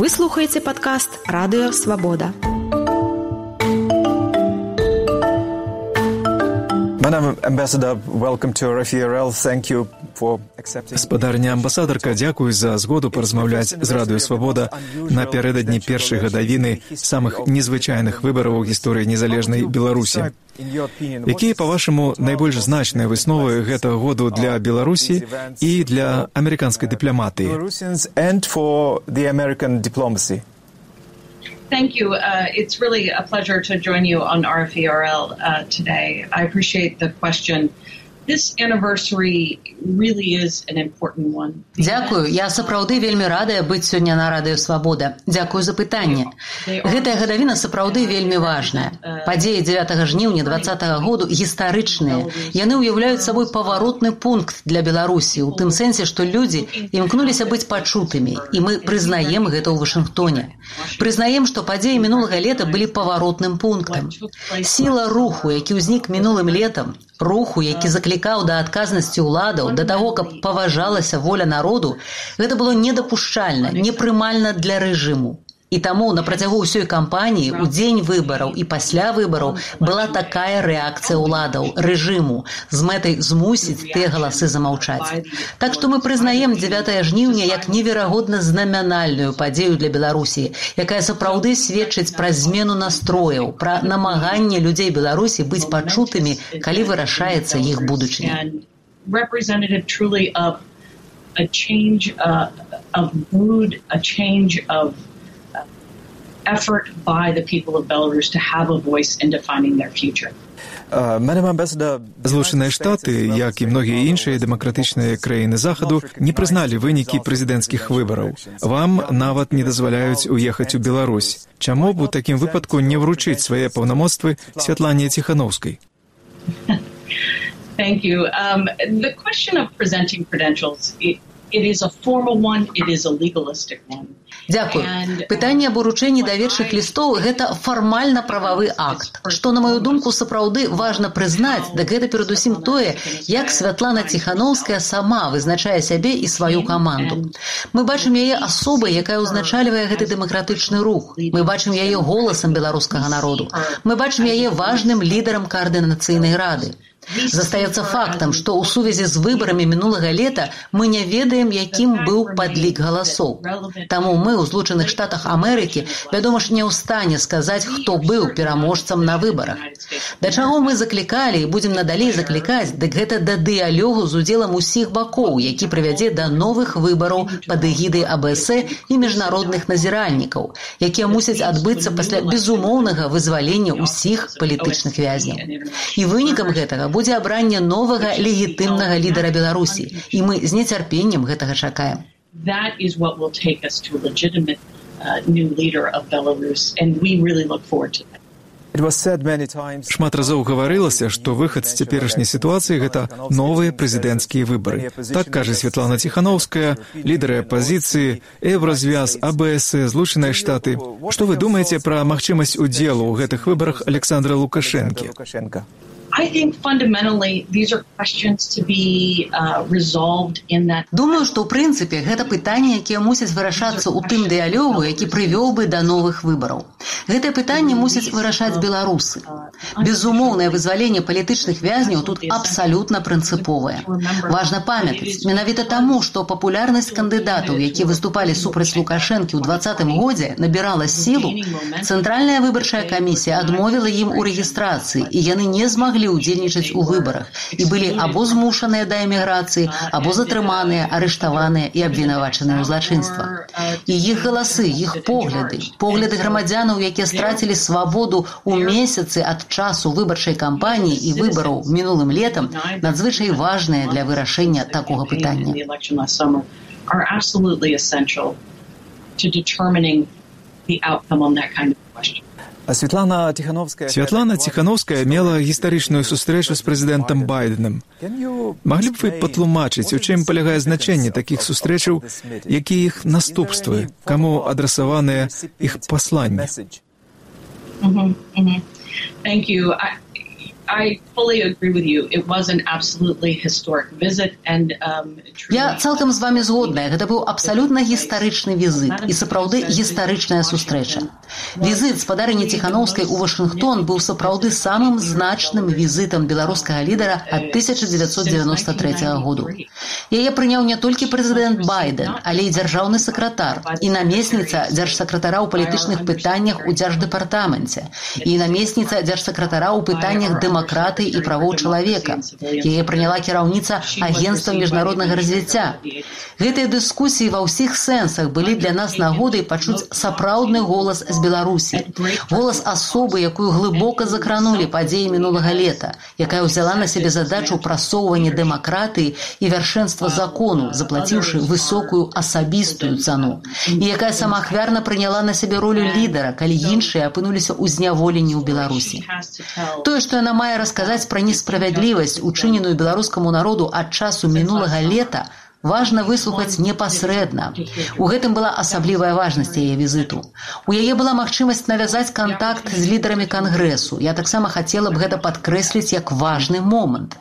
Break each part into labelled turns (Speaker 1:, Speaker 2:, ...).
Speaker 1: Вы слухаеце падкаст «Радыё Свабода».
Speaker 2: Madam Ambassador, welcome to RFE/RL. Thank you for accepting.
Speaker 3: Спадарня амбасадарка, дзякуй за згоду паразмаўляць з Радыё Свабода напярэдадні першай гадавіны самых незвычайных выбараў у гісторыі незалежнай Беларусі. Якія, па-вашаму, найбольш значныя высновы гэтага году для Беларусі і для амерыканскай дыпламатыі?
Speaker 4: Thank you. It's really a pleasure to join you on RFE/RL today. I appreciate the question. This anniversary really is an important one.
Speaker 5: Дзякую. Я сапраўды вельмі радая быць сёння на Радыё Свабода. Дзякую за пытанне. Гэтая гадавіна сапраўды вельмі важная. Падзеі 9 жніўня 2020 году гістарычныя. Яны ўяўляюць сабой паваротны пункт для Беларусі, у тым сэнсе, што людзі імкнуліся быць пачутымі, і мы прызнаем гэта ў Вашынгтоне. Прызнаем, што падзеі мінулага лета былі паваротным пунктам. Сіла руху, які ўзнік мінулым летам, руху, які заклікаў да адказнасці ўладаў, да таго, каб паважалася воля народу, гэта было недапушчальна, непрымальна для рэжыму. І таму на працягу ўсёй кампаніі, у дзень выбараў і пасля выбараў была такая рэакцыя ўладаў, рэжыму, з мэтай змусіць тыя галасы замаўчаць. Так што мы прызнаем 9 жніўня як неверагодна знамянальную падзею для Беларусі, якая сапраўды сведчыць пра змену настрояў, пра намаганне людзей Беларусі быць пачутымі, калі вырашаецца іх будучыня.
Speaker 4: Representative truly of a change of mood, a change of effort by the people of Belarus to have a voice in defining their future.
Speaker 3: Злучаныя Штаты, як і многія іншыя дэмакратычныя краіны Захаду, не прызналі вынікі прэзідэнцкіх выбараў. Вам нават не дазваляюць уехаць у Беларусь. Чаму б у такім выпадку не вручыць свае паўнамоцтвы Святлане Ціханаўскай?
Speaker 4: Thank you. The question of presenting credentials, it is a formal one, it is a legalistic one.
Speaker 5: Дзякуй. Пытанне аб уручэнні даверчых лістоў – гэта фармальна-прававы акт. Што, на маю думку, сапраўды важна прызнаць, дык гэта перадусім тое, як Святлана Ціханаўская сама вызначае сябе і сваю каманду. Мы бачым яе асобай, якая ўзначальвае гэты дэмакратычны рух. Мы бачым яе голасам беларускага народу. Мы бачым яе важным лідарам каардынацыйнай рады. Застаецца фактам, што ў сувязі з выбарамі мінулага лета мы не ведаем, якім быў падлік галасоў. Таму мы ў Злучаных Штатах Амерыкі, вядома ж, не ў стане сказаць, хто быў пераможцам на выбарах. Да чаго мы заклікалі і будзем надалей заклікаць, дык гэта да дыялогу з удзелам усіх бакоў, які прывядзе да новых выбараў пад эгідай АБС і міжнародных назіральнікаў, якія мусяць адбыцца пасля безумоўнага вызвалення ўсіх палітычных вязняў. І вынікам гэтага будзе абранне новага легітымнага лідара Беларусі, і мы з нецярпеннем гэтага чакаем.
Speaker 4: That is what will take us to a legitimate new leader of Belarus, and we really look forward to that.
Speaker 3: Шмат разоў гаварылася, што выхад з цяперашняй сітуацыі – гэта новыя прэзідэнцкія выбары. Так кажа Святлана Ціханаўская, лідары апазіцыі, Еўразвяз, АБС, Злучаныя Штаты. Што вы думаеце пра магчымасць удзелу ў гэтых выбарах Александра Лукашэнкі?
Speaker 4: I think fundamentally these are questions to be resolved in that.
Speaker 5: Думаю, што ў прынцыпе гэта пытанні, якія мусяць вырашацца ў тым дыялогу, які прывёў бы да новых выбараў. Гэтае пытанне мусяць вырашаць беларусы. Безумоўнае вызваленне палітычных вязняў тут абсалютна прынцыповае. Важна памятаць, менавіта таму, што папулярнасць кандыдатаў, якія выступалі супраць Лукашэнкі ў 2020 годзе, набірала сілу, Цэнтральная выбарчая камісія адмовіла ім у рэгістрацыі, і яны не змаглі удзельнічаць у выбарах і былі або змушаныя да эміграцыі, або затрыманыя, арыштаваныя і абвінавачаныя ў злачынствах. І іх галасы, іх погляды грамадзянаў, якія страцілі свабоду ў месяцы ад часу выбарчай кампаніі і выбараў мінулым летам, надзвычай важныя для вырашэння такога пытання.
Speaker 4: Are absolutely essential to determining the outcome on that kind of question.
Speaker 3: Святлана Ціханаўская мела гістарычную сустрэчу з прэзідэнтам Байденам. Маглі б вы патлумачыць, у чым палягае значэнне такіх сустрэчаў, якія іх наступствы, каму адрасаваныя іх пасланні?
Speaker 4: Thank you.
Speaker 5: Я цалкам з вами згодная. Гэта быў абсалютна гістарычны візіт і сапраўды гістарычная сустрэча. Візіт спадарыні Ціханаўскай у Вашынгтон быў сапраўды самым значным візітам беларускага лідара ад 1993 году. Яе прыняў не толькі прэзідэнт Байден, але і дзяржаўны сакратар, і намесніца дзяржсакратара ў палітычных пытаннях у дзярждэпартаменце, і намесніца дзяржсакратара ў пытаннях дэмакратыі і правоў чалавека. Яе прыняла кіраўніца агенцтва міжнароднага развіцця. Гэтыя дыскусіі ва ўсіх сэнсах былі для нас нагодай пачуць сапраўдны голас з Беларусі. Голас асобы, якую глыбока закранулі падзеі мінулага лета, якая ўзяла на сябе задачу прасоўвання дэмакратыі і вяршэнства закону, заплаціўшы высокую асабістую цану, і якая самаахвярна прыняла на сябе ролю лідара, калі іншыя апынуліся ў зняволенні ў Беларусі. Тое, што яна мае расказаць пра несправядлівасць, учыненую беларускаму народу ад часу мінулага лета, важна выслухаць непасрэдна. У гэтым была асаблівая важнасць яе візіту. У яе была магчымасць навязаць кантакт з лідарамі кангрэсу. Я таксама хацела б гэта падкрэсліць як важны момант.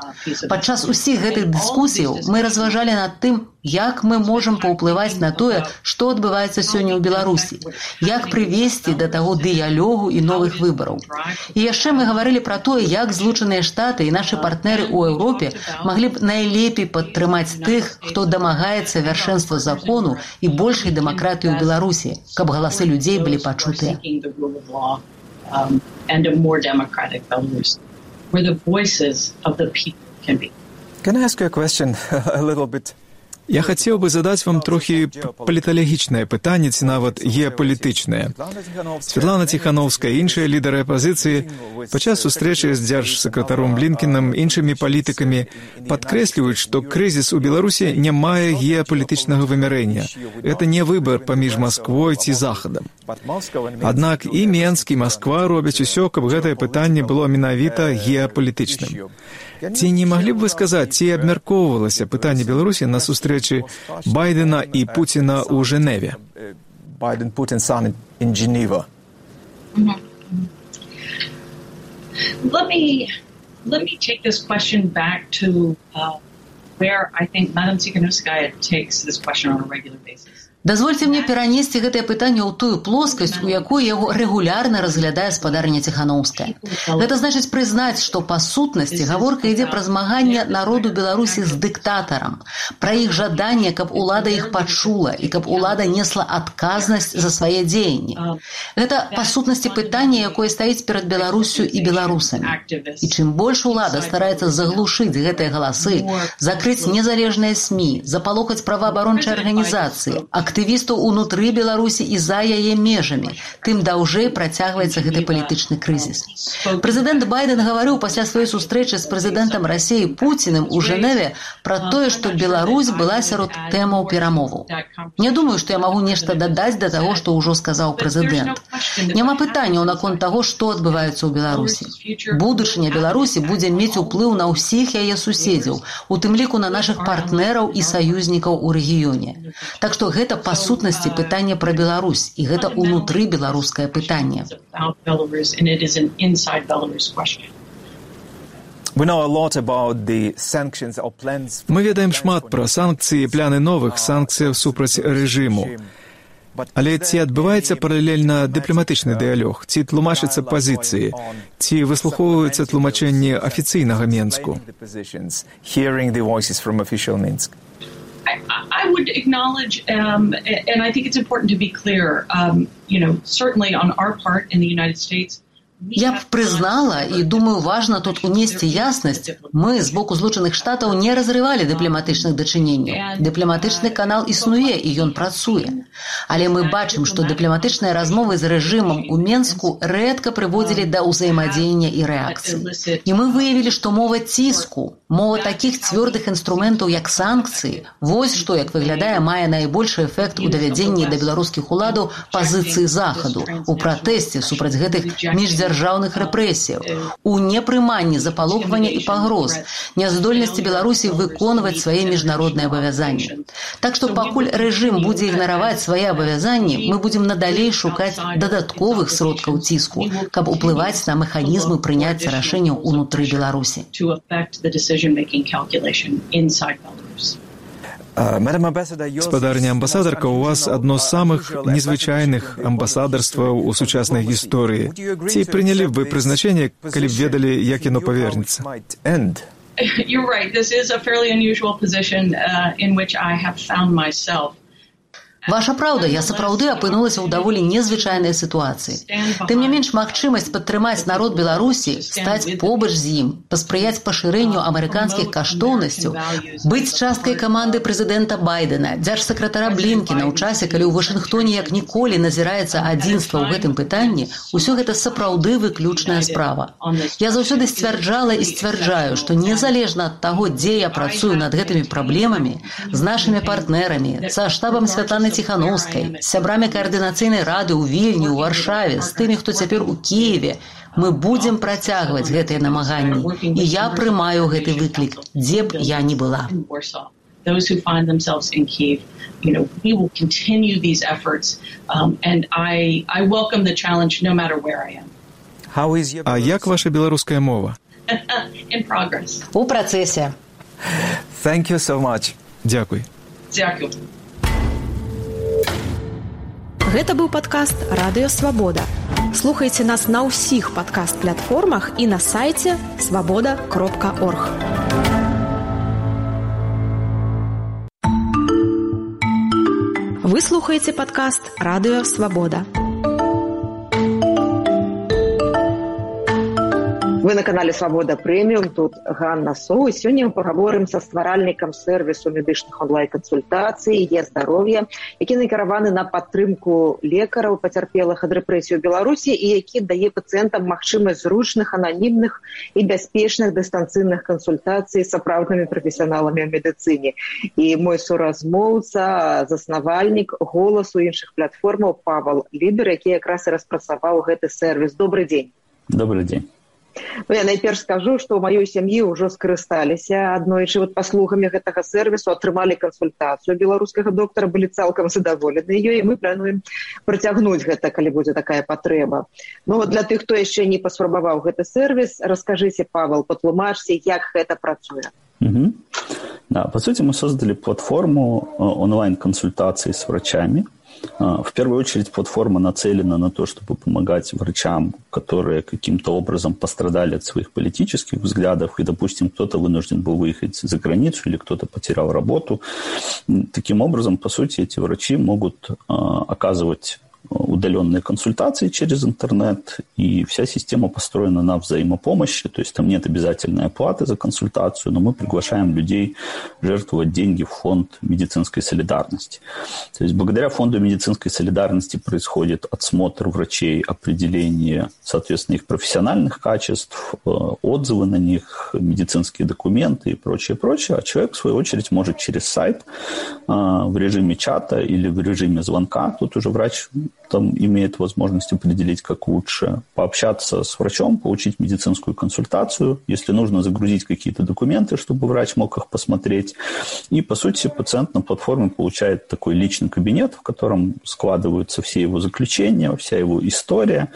Speaker 5: Падчас усіх гэтых дыскусіяў мы разважалі над тым, як мы можам паўплываць на тое, што адбываецца сёння ў Беларусі, як прывесці да таго дыялогу і новых выбараў. І яшчэ мы гаварылі пра тое, як Злучаныя Штаты і нашы партнеры ў Еўропе маглі б найлепей падтрымаць тых, хто дамагаецца вяршэнства закону і большай дэмакратыі ў Беларусі, каб галасы людзей былі пачутыя.
Speaker 2: Can I ask you a question a little bit?
Speaker 3: Я хацеў бы задаць вам трохі паліталагічнае пытанне, ці нават геапалітычнае. Святлана Ціханаўская і іншыя лідары апазіцыі падчас сустрэчы з дзяржсакратаром Блінкенам, іншымі палітыкамі падкрэсліваюць, што крызіс у Беларусі не мае геапалітычнага вымярэння. Гэта не выбар паміж Масквой ці Захадам. Аднак і Менск, і Масква робяць усё, каб гэтае пытанне было менавіта геапалітычным. Ці не маглі б вы сказаць, ці абмяркоўвалася пытанне Беларусі на сустрэчы Байдена і Пуціна ў Жэневе?
Speaker 2: Biden-Putin summit in Geneva.
Speaker 4: Let me take this question back to where I think Madam Tsikhanouskaya takes this question on a regular basis.
Speaker 5: Дазвольце мне перанесці гэтае пытанне ў тую плоскасць, у якой яго рэгулярна разглядае спадарня Ціханаўская. Гэта значыць прызнаць, што па сутнасці гаворка ідзе пра змаганне народу Беларусі з дыктатарам, пра іх жаданне, каб улада іх пачула і каб улада несла адказнасць за свае дзеянні. Гэта па сутнасці пытанне, якое стаіць перад Беларусю і беларусамі. І чым больш улада стараецца заглушыць гэтыя галасы, закрыць незалежныя СМІ, запалохаць праваабарончыя арганізацыі, актывістаў унутры Беларусі і за яе межамі, тым даўжэй працягваецца гэты палітычны крызіс. Прэзідэнт Байден гаварыў пасля сваёй сустрэчы з прэзідэнтам Расіі Пуціным у Жэневе пра тое, што Беларусь была сярод тэмаў перамоваў. Не думаю, што я магу нешта дадаць да таго, што ўжо сказаў прэзідэнт. Няма пытанняў наконт таго, што адбываецца ў Беларусі. Будучыня Беларусі будзе мець уплыў на ўсіх яе суседзяў, у тым ліку на нашых партнераў і саюзнікаў у рэгіёне. Так што гэта па сутнасці пытанне пра Беларусь, і гэта ўнутры беларускае пытанне.
Speaker 3: Мы ведаем шмат пра санкцыі і пляны новых санкцыяў супраць рэжыму. Але ці адбываецца паралельна дыпламатычны дыялог, ці тлумачыцца пазіцыі, ці выслухоўваюцца тлумачэнні афіцыйнага Менску?
Speaker 4: I would acknowledge, and I think it's important to be clear, certainly on our part in the United States,
Speaker 5: Я б прызнала, і думаю, важна тут унесці яснасць, мы з боку Злучаных Штатаў не разрывалі дыпламатычных дачыненняў. Дыпламатычны канал існуе, і ён працуе. Але мы бачым, што дыпламатычныя размовы з рэжымам у Менску рэдка прыводзілі да ўзаемадзеяння і рэакцыі. І мы выявілі, што мова ціску, мова такіх цвёрдых інструментаў, як санкцыі, вось што, як выглядае, мае найбольшы эфект у давядзенні да беларускіх уладаў пазіцыі Захаду, у пратэсце супраць гэтых міждзяржаўных дзяржаўных рэпрэсіяў, у непрыманні запалохвання і пагроз, няздольнасці Беларусі выконваць свае міжнародныя абавязанні. Так што пакуль рэжым будзе ігнараваць свае абавязанні, мы будзем надалей шукаць дадатковых сродкаў ціску, каб уплываць на механізмы прыняцця рашэнняў унутры Беларусі.
Speaker 3: Спадарня амбасадарка, у вас адно з самых незвычайных амбасадарстваў у сучаснай гісторыі. Ці прынялі б вы прызначэнне, калі б ведалі, як яно павернецца?
Speaker 4: You're right. This is a fairly unusual position in which I have found myself.
Speaker 5: Ваша праўда, я сапраўды апынулася ў даволі незвычайнай сітуацыі. Тым не менш, магчымасць падтрымаць народ Беларусі, стаць побач з ім, паспрыяць пашырэнню амерыканскіх каштоўнасцяў, быць часткай каманды прэзідэнта Байдена, дзяржсакратара Блінкена ў часе, калі ў Вашынгтоне як ніколі назіраецца адзінства ў гэтым пытанні, усё гэта сапраўды выключная справа. Я заўсёды сцвярджала і сцвярджаю, што незалежна ад таго, дзе я працую над гэтымі праблемамі, з нашымі партнерамі, са штабам Святланы Ціханаўскай, з сябрамі каардынацыйнай рады ў Вільні, ў Варшаве, з тымі, хто цяпер у Кіеве, мы будзем працягваць гэтыя намаганні. І я прымаю гэты выклік, дзе б я не была.
Speaker 4: Those who find themselves in Kyiv, we will continue these efforts, and I welcome the challenge no matter where I am.
Speaker 3: А як ваша беларуская мова?
Speaker 4: In progress.
Speaker 5: У працэсе.
Speaker 2: Thank you so much.
Speaker 3: Дзякуй.
Speaker 4: Дзякуй.
Speaker 1: Гэта быў падкаст «Радыё Свабода». Слухайце нас на ўсіх падкаст-платформах і на сайце swaboda.org. Вы слухаеце падкаст «Радыё Свабода».
Speaker 6: Вы на канале «Свабода Прэміум», тут Ганна Соу. Сёння мы пагаворым са стваральнікам сэрвісу медычных онлайн-кансультацый «Е-здароўе», які накіраваны на падтрымку лекараў, пацярпелых ад рэпрэсій у Беларусі і які дае пацыентам магчымасць зручных, ананімных і бяспечных дыстанцыйных кансультацый з сапраўднымі прафесіяналамі ў медыцыне. І мой суразмоўца, заснавальнік «Голасу» іншых платформаў Павел Лібер, які якраз і распрацаваў гэты сэрвіс. Добрый дзень.
Speaker 7: Добрый дзень.
Speaker 6: Я найперш скажу, што ў маёй сям'і ўжо скарысталіся аднойчы паслугамі гэтага сэрвісу, атрымалі кансультацыю беларускага доктара, былі цалкам задаволены ёй, і мы плануем працягнуць гэта, калі будзе такая патрэба. Ну, для тых, хто яшчэ не паспрабаваў гэты сэрвіс, раскажыце, Павел, патлумачце, як гэта працуе.
Speaker 7: Да, по сути, мы создали платформу онлайн-консультаций с врачами. В первую очередь платформа нацелена на то, чтобы помогать врачам, которые каким-то образом пострадали от своих политических взглядов, и, допустим, кто-то вынужден был выехать за границу или кто-то потерял работу. Таким образом, по сути, эти врачи могут оказывать удаленные консультации через интернет, и вся система построена на взаимопомощи, то есть там нет обязательной оплаты за консультацию, но мы приглашаем людей жертвовать деньги в фонд медицинской солидарности. То есть благодаря фонду медицинской солидарности происходит отсмотр врачей, определение, соответственно, их профессиональных качеств, отзывы на них, медицинские документы и прочее, а человек, в свою очередь, может через сайт в режиме чата или в режиме звонка, тут уже врач там имеет возможность определить, как лучше, пообщаться с врачом, получить медицинскую консультацию, если нужно загрузить какие-то документы, чтобы врач мог их посмотреть. И, по сути, пациент на платформе получает такой личный кабинет, в котором складываются все его заключения, вся его история.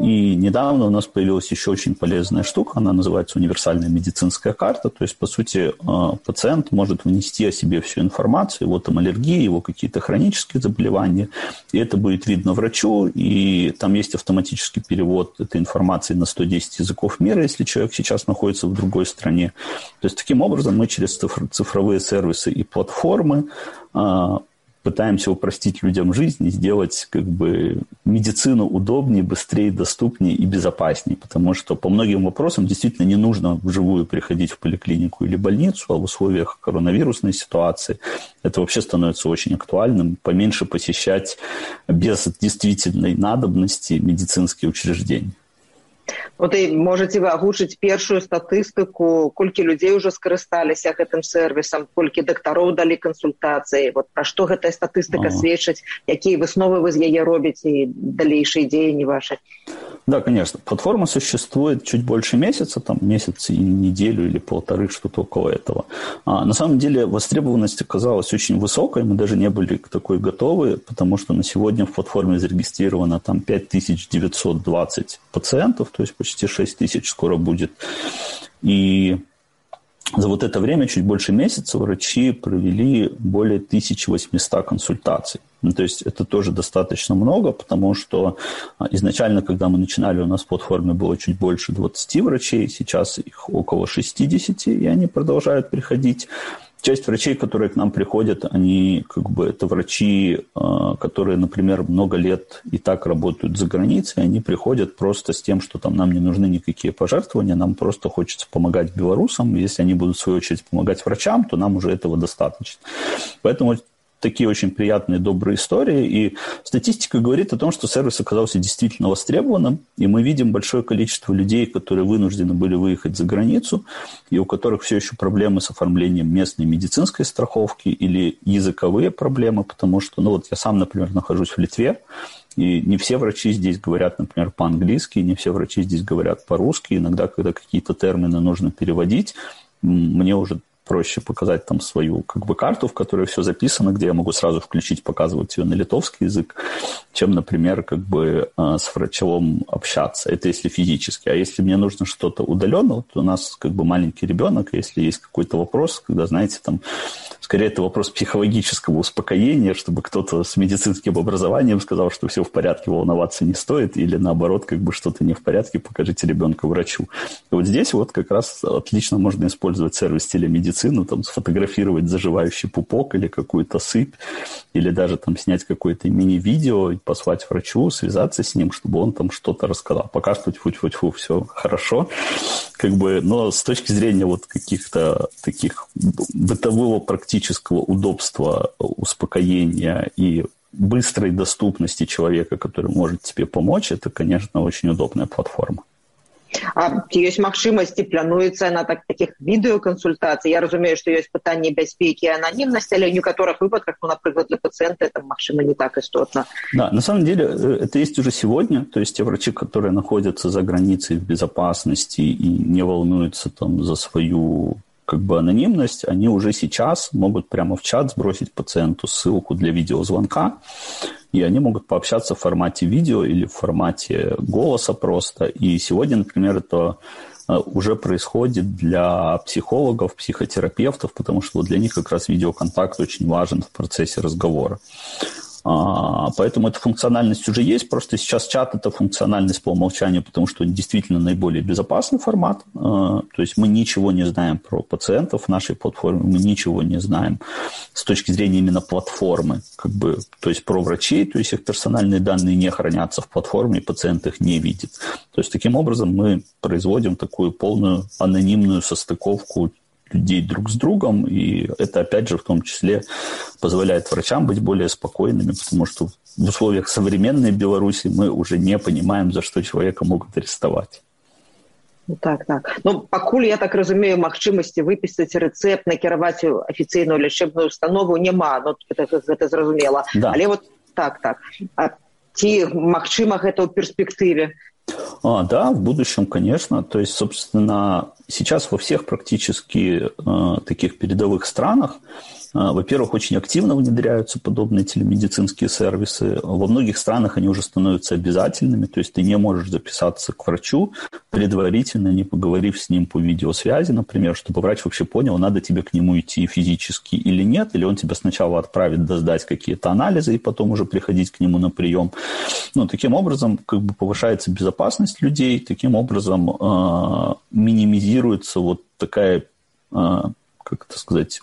Speaker 7: И недавно у нас появилась еще очень полезная штука, она называется универсальная медицинская карта, то есть, по сути, пациент может внести о себе всю информацию, его там аллергии, его какие-то хронические заболевания, и это будет видно врачу, и там есть автоматический перевод этой информации на 110 языков мира, если человек сейчас находится в другой стране. То есть, таким образом, мы через цифровые сервисы и платформы пытаемся упростить людям жизнь и сделать медицину удобнее, быстрее, доступнее и безопаснее. Потому что по многим вопросам действительно не нужно вживую приходить в поликлинику или больницу, а в условиях коронавирусной ситуации это вообще становится очень актуальным. Поменьше посещать без действительной надобности медицинские учреждения.
Speaker 6: Вот и можете вы агучыць першую статыстыку, колькі людзей уже скарысталіся гэтым сервисом, колькі дактароў далі кансультацыі, вот пра што гэтая статыстыка сведчыць, якія высновы вы з яе робіце і далейшыя дзеянні ваши?
Speaker 7: Да, конечно. Платформа существует чуть больше месяца, там месяц и неделю или полторы, что-то около этого. На самом деле востребованность оказалась очень высокой, мы даже не были к такой готовы, потому что на сегодня в платформе зарегистрировано там 5920 пациентов, то есть почти 6000 скоро будет. И за вот это время, чуть больше месяца, врачи провели более 1800 консультаций. Ну, то есть это тоже достаточно много, потому что изначально, когда мы начинали, у нас в платформе было чуть больше 20 врачей, сейчас их около 60, и они продолжают приходить. Часть врачей, которые к нам приходят, они это врачи, которые, например, много лет и так работают за границей, они приходят просто с тем, что там нам не нужны никакие пожертвования, нам просто хочется помогать белорусам. Если они будут, в свою очередь, помогать врачам, то нам уже этого достаточно. Поэтому такие очень приятные, добрые истории. И статистика говорит о том, что сервис оказался действительно востребованным. И мы видим большое количество людей, которые вынуждены были выехать за границу, и у которых все еще проблемы с оформлением местной медицинской страховки или языковые проблемы, потому что, я сам, например, нахожусь в Литве, и не все врачи здесь говорят, например, по-английски, не все врачи здесь говорят по-русски. Иногда, когда какие-то термины нужно переводить, мне уже проще показать там свою карту, в которой все записано, где я могу сразу включить, показывать ее на литовский язык, чем, например, с врачом общаться. Это если физически. А если мне нужно что-то удаленно, то у нас маленький ребенок, если есть какой-то вопрос, когда, знаете, там, скорее это вопрос психологического успокоения, чтобы кто-то с медицинским образованием сказал, что все в порядке, волноваться не стоит, или наоборот, что-то не в порядке, покажите ребенка врачу. И вот здесь как раз отлично можно использовать сервис телемедицины, там, сфотографировать заживающий пупок или какую-то сыпь, или даже там снять какое-то мини-видео и послать врачу, связаться с ним, чтобы он там что-то рассказал. Пока что тьфу-тьфу-тьфу, все хорошо. Но с точки зрения каких-то таких бытового практического удобства, успокоения и быстрой доступности человека, который может тебе помочь, это, конечно, очень удобная платформа.
Speaker 6: А ёсць магчымасці, плануецца на таких відэакансультацый? Я разумею, што ёсць пытанне бяспекі і ананімнасці, але ў некаторых выпадках, например, для пациента это, магчыма, не так истотно.
Speaker 7: Да, на самом деле это есть уже сегодня. То есть те врачи, которые находятся за границей в безопасности и не волнуются там за свою анонимность, они уже сейчас могут прямо в чат сбросить пациенту ссылку для видеозвонка, и они могут пообщаться в формате видео или в формате голоса просто. И сегодня, например, это уже происходит для психологов, психотерапевтов, потому что для них как раз видеоконтакт очень важен в процессе разговора. Поэтому эта функциональность уже есть, просто сейчас чат – это функциональность по умолчанию, потому что он действительно наиболее безопасный формат. То есть мы ничего не знаем про пациентов в нашей платформе, мы ничего не знаем с точки зрения именно платформы, то есть про врачей, то есть их персональные данные не хранятся в платформе, и пациент их не видит. То есть таким образом мы производим такую полную анонимную состыковку людей друг с другом, и это, опять же, в том числе позволяет врачам быть более спокойными, потому что в условиях современной Беларуси мы уже не понимаем, за что человека могут арестовать.
Speaker 6: Так. Пакуль, я так разумею, магчымасці выпісаць рэцэпт, накіраваць у афіцыйную лячэбную установу няма, гэта зразумела.
Speaker 7: Да.
Speaker 6: Але так. Ці магчыма гэта ў перспектыве?
Speaker 7: Да, в будущем, конечно. То есть, собственно, сейчас во всех практически таких передовых странах, во-первых, очень активно внедряются подобные телемедицинские сервисы. Во многих странах они уже становятся обязательными, то есть ты не можешь записаться к врачу, предварительно не поговорив с ним по видеосвязи, например, чтобы врач вообще понял, надо тебе к нему идти физически или нет, или он тебя сначала отправит сдать какие-то анализы и потом уже приходить к нему на прием. Таким образом, повышается безопасность людей, таким образом минимизируется такая...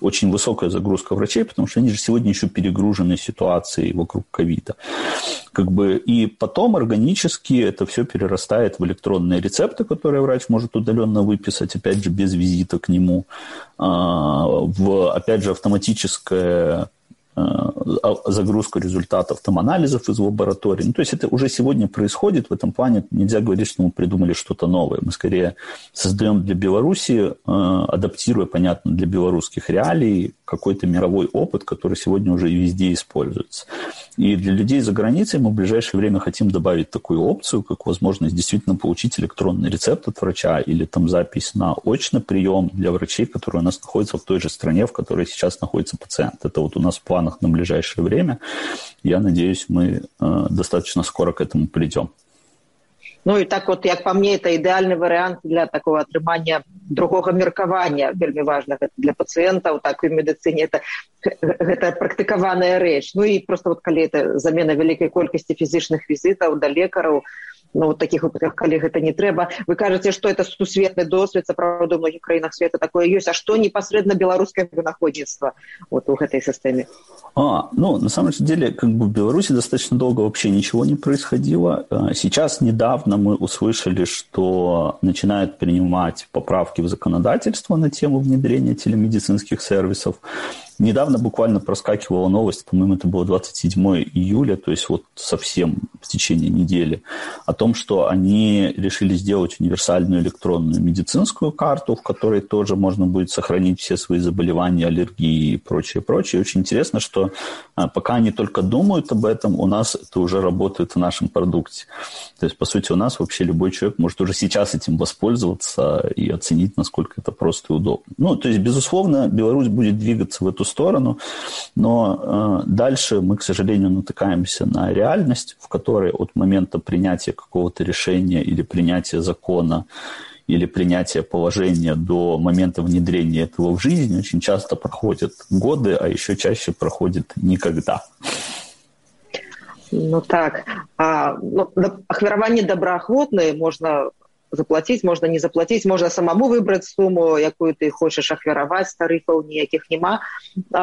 Speaker 7: очень высокая загрузка врачей, потому что они же сегодня еще перегружены ситуацией вокруг ковида. И потом органически это все перерастает в электронные рецепты, которые врач может удаленно выписать, опять же, без визита к нему, в, опять же, автоматическое загрузку результатов там, анализов из лабораторий. Ну, то есть это уже сегодня происходит. В этом плане нельзя говорить, что мы придумали что-то новое. Мы скорее создаем для Беларуси, адаптируя, понятно, для белорусских реалий, какой-то мировой опыт, который сегодня уже везде используется. И для людей за границей мы в ближайшее время хотим добавить такую опцию, как возможность действительно получить электронный рецепт от врача или там запись на очный прием для врачей, которые у нас находятся в той же стране, в которой сейчас находится пациент. Это вот у нас в планах на ближайшее время. Я надеюсь, мы достаточно скоро к этому придем.
Speaker 6: Ну і так от, як па мне, это ідэальны варыянт для такого атрымання другога меркавання, вельмі важнага для пацыентаў, так і в медыцыне гэта практыкаваная рэч. Ну і просто вот калі это замена вялікай колькасці фізічных візітаў да лекараў, ну, вот таких вот, калі гэта не трэба. Вы кажаце, што это сусветны досвед, сапраўды, у многіх краінах света такое ёсць. А што непасрэдна беларускае вынаходніцтва вот у гэтай сістэме?
Speaker 7: Ну, на самом деле, как бы в Беларуси достаточно долго вообще ничего не происходило. Сейчас недавно мы услышали, что начинают принимать поправки в законодательство на тему внедрения телемедицинских сервисов. Недавно буквально проскакивала новость, по-моему, это было 27 июля, то есть вот совсем в течение недели, о том, что они решили сделать универсальную электронную медицинскую карту, в которой тоже можно будет сохранить все свои заболевания, аллергии и прочее. Очень интересно, что пока они только думают об этом, у нас это уже работает в нашем продукте. То есть, по сути, у нас вообще любой человек может уже сейчас этим воспользоваться и оценить, насколько это просто и удобно. Ну, то есть, безусловно, Беларусь будет двигаться в эту сторону, но дальше мы, к сожалению, натыкаемся на реальность, в которой от момента принятия какого-то решения или принятия закона или принятия положения до момента внедрения этого в жизнь очень часто проходят годы, а еще чаще проходит никогда.
Speaker 6: Ну так, ахвяраванне добраахвотнае можна заплатить, можно не заплатить, можно самому выбрать сумму, якую ты хочешь ахвяраваць, тарыфаў ніякіх няма.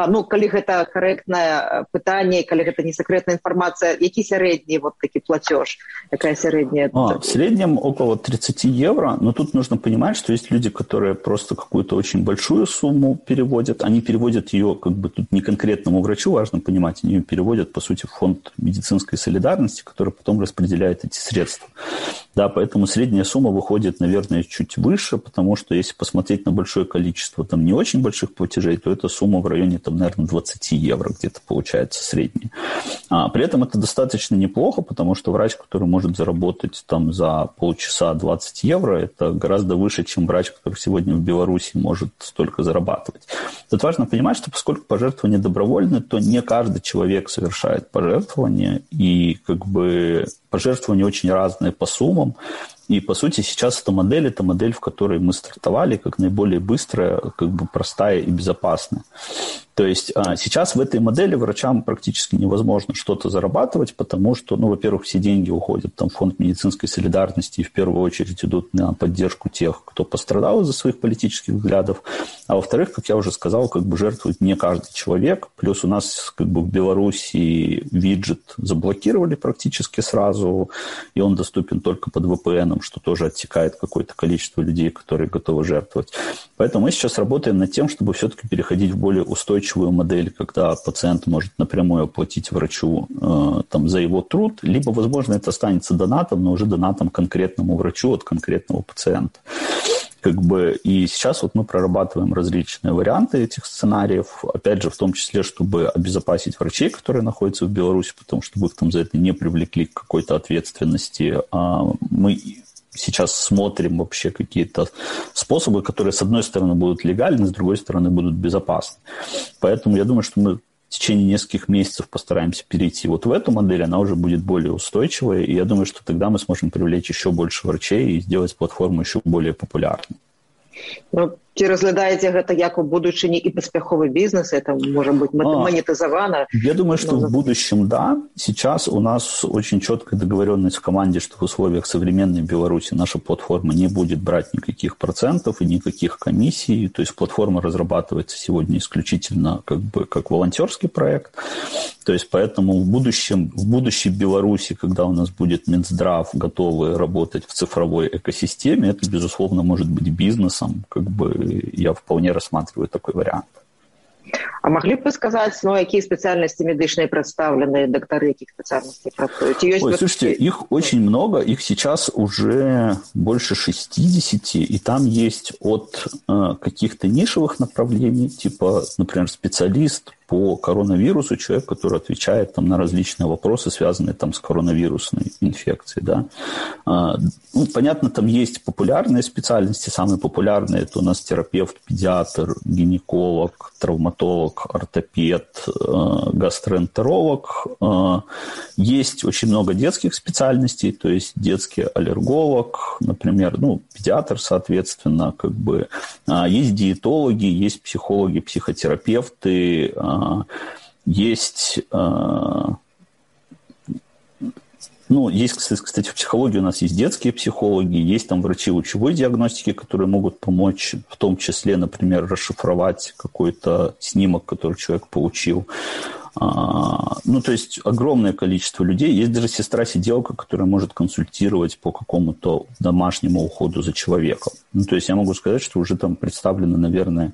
Speaker 6: Ну, калі гэта карэктнае пытанне, калі гэта не секретная информация, які сярэдні вот такі платеж? Какая средняя?
Speaker 7: В среднем около 30 евро, но тут нужно понимать, что есть люди, которые просто какую-то очень большую сумму переводят, они переводят ее как бы тут не конкретному врачу, важно понимать, они ее переводят, по сути, в фонд медицинской солидарности, который потом распределяет эти средства. Да, поэтому средняя сумма выходит, наверное, чуть выше, потому что если посмотреть на большое количество там не очень больших платежей, то эта сумма в районе, там, наверное, 20 евро где-то получается средняя. При этом это достаточно неплохо, потому что врач, который может заработать там за полчаса 20 евро, это гораздо выше, чем врач, который сегодня в Беларуси может столько зарабатывать. Тут важно понимать, что поскольку пожертвования добровольны, то не каждый человек совершает пожертвования, и как бы пожертвования очень разные по суммам. И, по сути, сейчас эта модель, в которой мы стартовали, как наиболее быстрая, как бы простая и безопасная. То есть сейчас в этой модели врачам практически невозможно что-то зарабатывать, потому что, ну, во-первых, все деньги уходят там, в фонд медицинской солидарности и в первую очередь идут на поддержку тех, кто пострадал из-за своих политических взглядов. А во-вторых, как я уже сказал, как бы жертвует не каждый человек. Плюс у нас как бы в Беларуси виджет заблокировали практически сразу, и он доступен только под VPN, что тоже оттекает какое-то количество людей, которые готовы жертвовать. Поэтому мы сейчас работаем над тем, чтобы все-таки переходить в более устойчивую модель, когда пациент может напрямую оплатить врачу там, за его труд, либо, возможно, это останется донатом, но уже донатом конкретному врачу от конкретного пациента. Как бы, и сейчас вот мы прорабатываем различные варианты этих сценариев, опять же, в том числе, чтобы обезопасить врачей, которые находятся в Беларуси, потому что их там за это не привлекли к какой-то ответственности. Мы сейчас смотрим вообще какие-то способы, которые, с одной стороны, будут легальны, с другой стороны, будут безопасны. Поэтому я думаю, что мы в течение нескольких месяцев постараемся перейти вот в эту модель, она уже будет более устойчивая, и я думаю, что тогда мы сможем привлечь еще больше врачей и сделать платформу еще более популярной.
Speaker 6: Ну, ці разглядаеце гэта як у будучыні і паспяховы бізнес, это может быть монетизовано?
Speaker 7: Я думаю, что в будущем да. Сейчас у нас очень четкая договоренность в команде, что в условиях современной Беларуси наша платформа не будет брать никаких процентов и никаких комиссий. То есть платформа разрабатывается сегодня исключительно как волонтерский проект. То есть поэтому в будущей Беларуси, когда у нас будет Минздрав готовы работать в цифровой экосистеме, это, безусловно, может быть бизнесом, как бы я вполне рассматриваю такой вариант.
Speaker 6: А могли бы сказать, какие специальности медичные представлены, докторы каких специальностей працуют?
Speaker 7: Слушайте, их очень много, их сейчас уже больше 60, и там есть от каких-то нишевых направлений, типа, например, специалист по коронавирусу, человек, который отвечает там на различные вопросы, связанные там с коронавирусной инфекцией, да. Понятно, там есть популярные специальности, самые популярные это у нас терапевт, педиатр, гинеколог, травматолог, ортопед, гастроэнтеролог. Есть очень много детских специальностей, то есть детский аллерголог, например, педиатр, соответственно, есть диетологи, есть психологи, психотерапевты, есть, кстати, в психологии у нас есть детские психологи, есть там врачи лучевой диагностики, которые могут помочь, в том числе, например, расшифровать какой-то снимок, который человек получил. То есть огромное количество людей. Есть даже сестра-сиделка, которая может консультировать по какому-то домашнему уходу за человеком. То есть я могу сказать, что уже там представлено, наверное,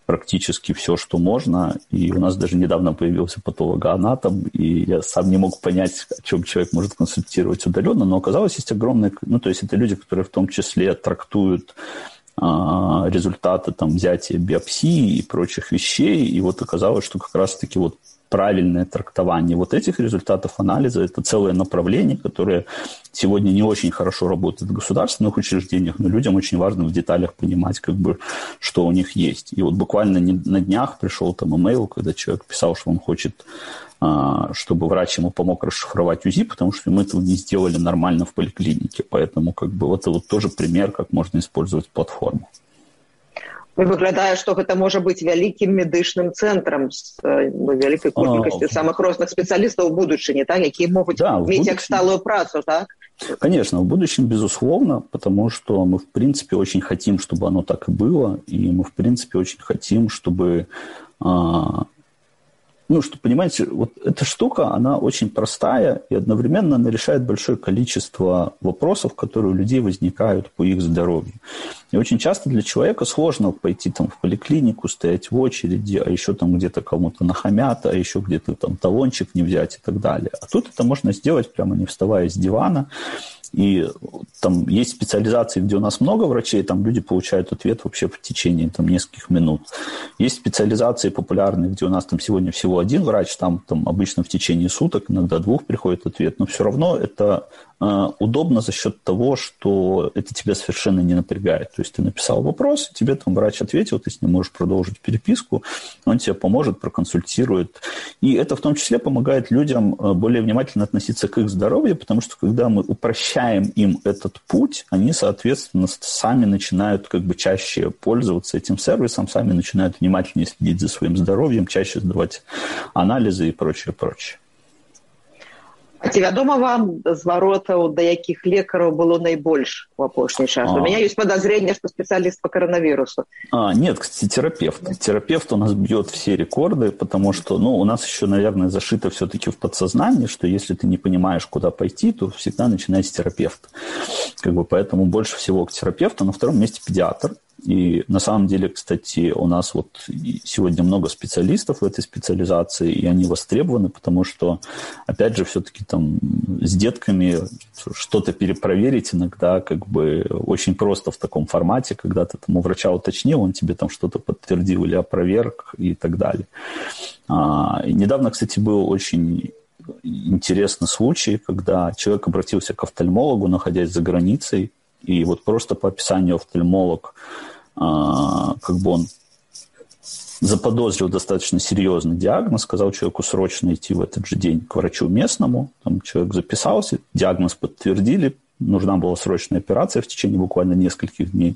Speaker 7: практически все, что можно. И у нас даже недавно появился патологоанатом, и я сам не мог понять, о чем человек может консультировать удаленно, но оказалось, есть огромное... то есть это люди, которые в том числе трактуют результаты там, взятия биопсии и прочих вещей, и вот оказалось, что как раз-таки вот правильное трактование вот этих результатов анализа – это целое направление, которое сегодня не очень хорошо работает в государственных учреждениях, но людям очень важно в деталях понимать, что у них есть. И вот буквально на днях пришел там имейл, когда человек писал, что он хочет, чтобы врач ему помог расшифровать УЗИ, потому что мы этого не сделали нормально в поликлинике. Поэтому это вот тоже пример, как можно использовать платформу.
Speaker 6: Выглядае, што гэта можа быць вялікім медычным цэнтрам з вялікай колькасцю самых розных спецыялістаў у будучыні, так, якія могуць мець як сталую працу, так?
Speaker 7: Конечно, в будущем, безусловно, потому что мы, в принципе, очень хотим, чтобы оно так и было, и мы, в принципе, очень хотим, чтобы... что, понимаете, вот эта штука, она очень простая, и одновременно она решает большое количество вопросов, которые у людей возникают по их здоровью. И очень часто для человека сложно пойти там в поликлинику, стоять в очереди, а еще там где-то кому-то нахамят, а еще где-то там талончик не взять и так далее. А тут это можно сделать прямо не вставая с дивана. И там есть специализации, где у нас много врачей, там люди получают ответ вообще в течение там, нескольких минут. Есть специализации популярные, где у нас там сегодня всего один врач, там обычно в течение суток, иногда 2 приходит ответ, но все равно это удобно за счет того, что это тебя совершенно не напрягает. То есть ты написал вопрос, тебе там врач ответил, ты с ним можешь продолжить переписку, он тебе поможет, проконсультирует. И это в том числе помогает людям более внимательно относиться к их здоровью, потому что когда мы упрощаем им этот путь, они, соответственно, сами начинают чаще пользоваться этим сервисом, сами начинают внимательнее следить за своим здоровьем, чаще сдавать анализы и прочее, прочее.
Speaker 6: А ці вядома вам зваротаў, да якіх лекараў было найбольш у апошні час? У меня есть подозрение, что специалист по коронавирусу.
Speaker 7: Нет, кстати, терапевт. Терапевт у нас бьет все рекорды, потому что, у нас еще, наверное, зашито все-таки в подсознании, что если ты не понимаешь, куда пойти, то всегда начинай с терапевта. Поэтому больше всего к терапевту. На втором месте педиатр. И на самом деле, кстати, у нас сегодня много специалистов в этой специализации, и они востребованы, потому что, опять же, все-таки там с детками что-то перепроверить иногда очень просто в таком формате, когда ты там у врача уточнил, он тебе там что-то подтвердил или опроверг и так далее. И недавно, кстати, был очень интересный случай, когда человек обратился к офтальмологу, находясь за границей, и вот просто по описанию офтальмолог, он заподозрил достаточно серьезный диагноз, сказал человеку срочно идти в этот же день к врачу местному. Там человек записался, диагноз подтвердили, нужна была срочная операция в течение буквально нескольких дней.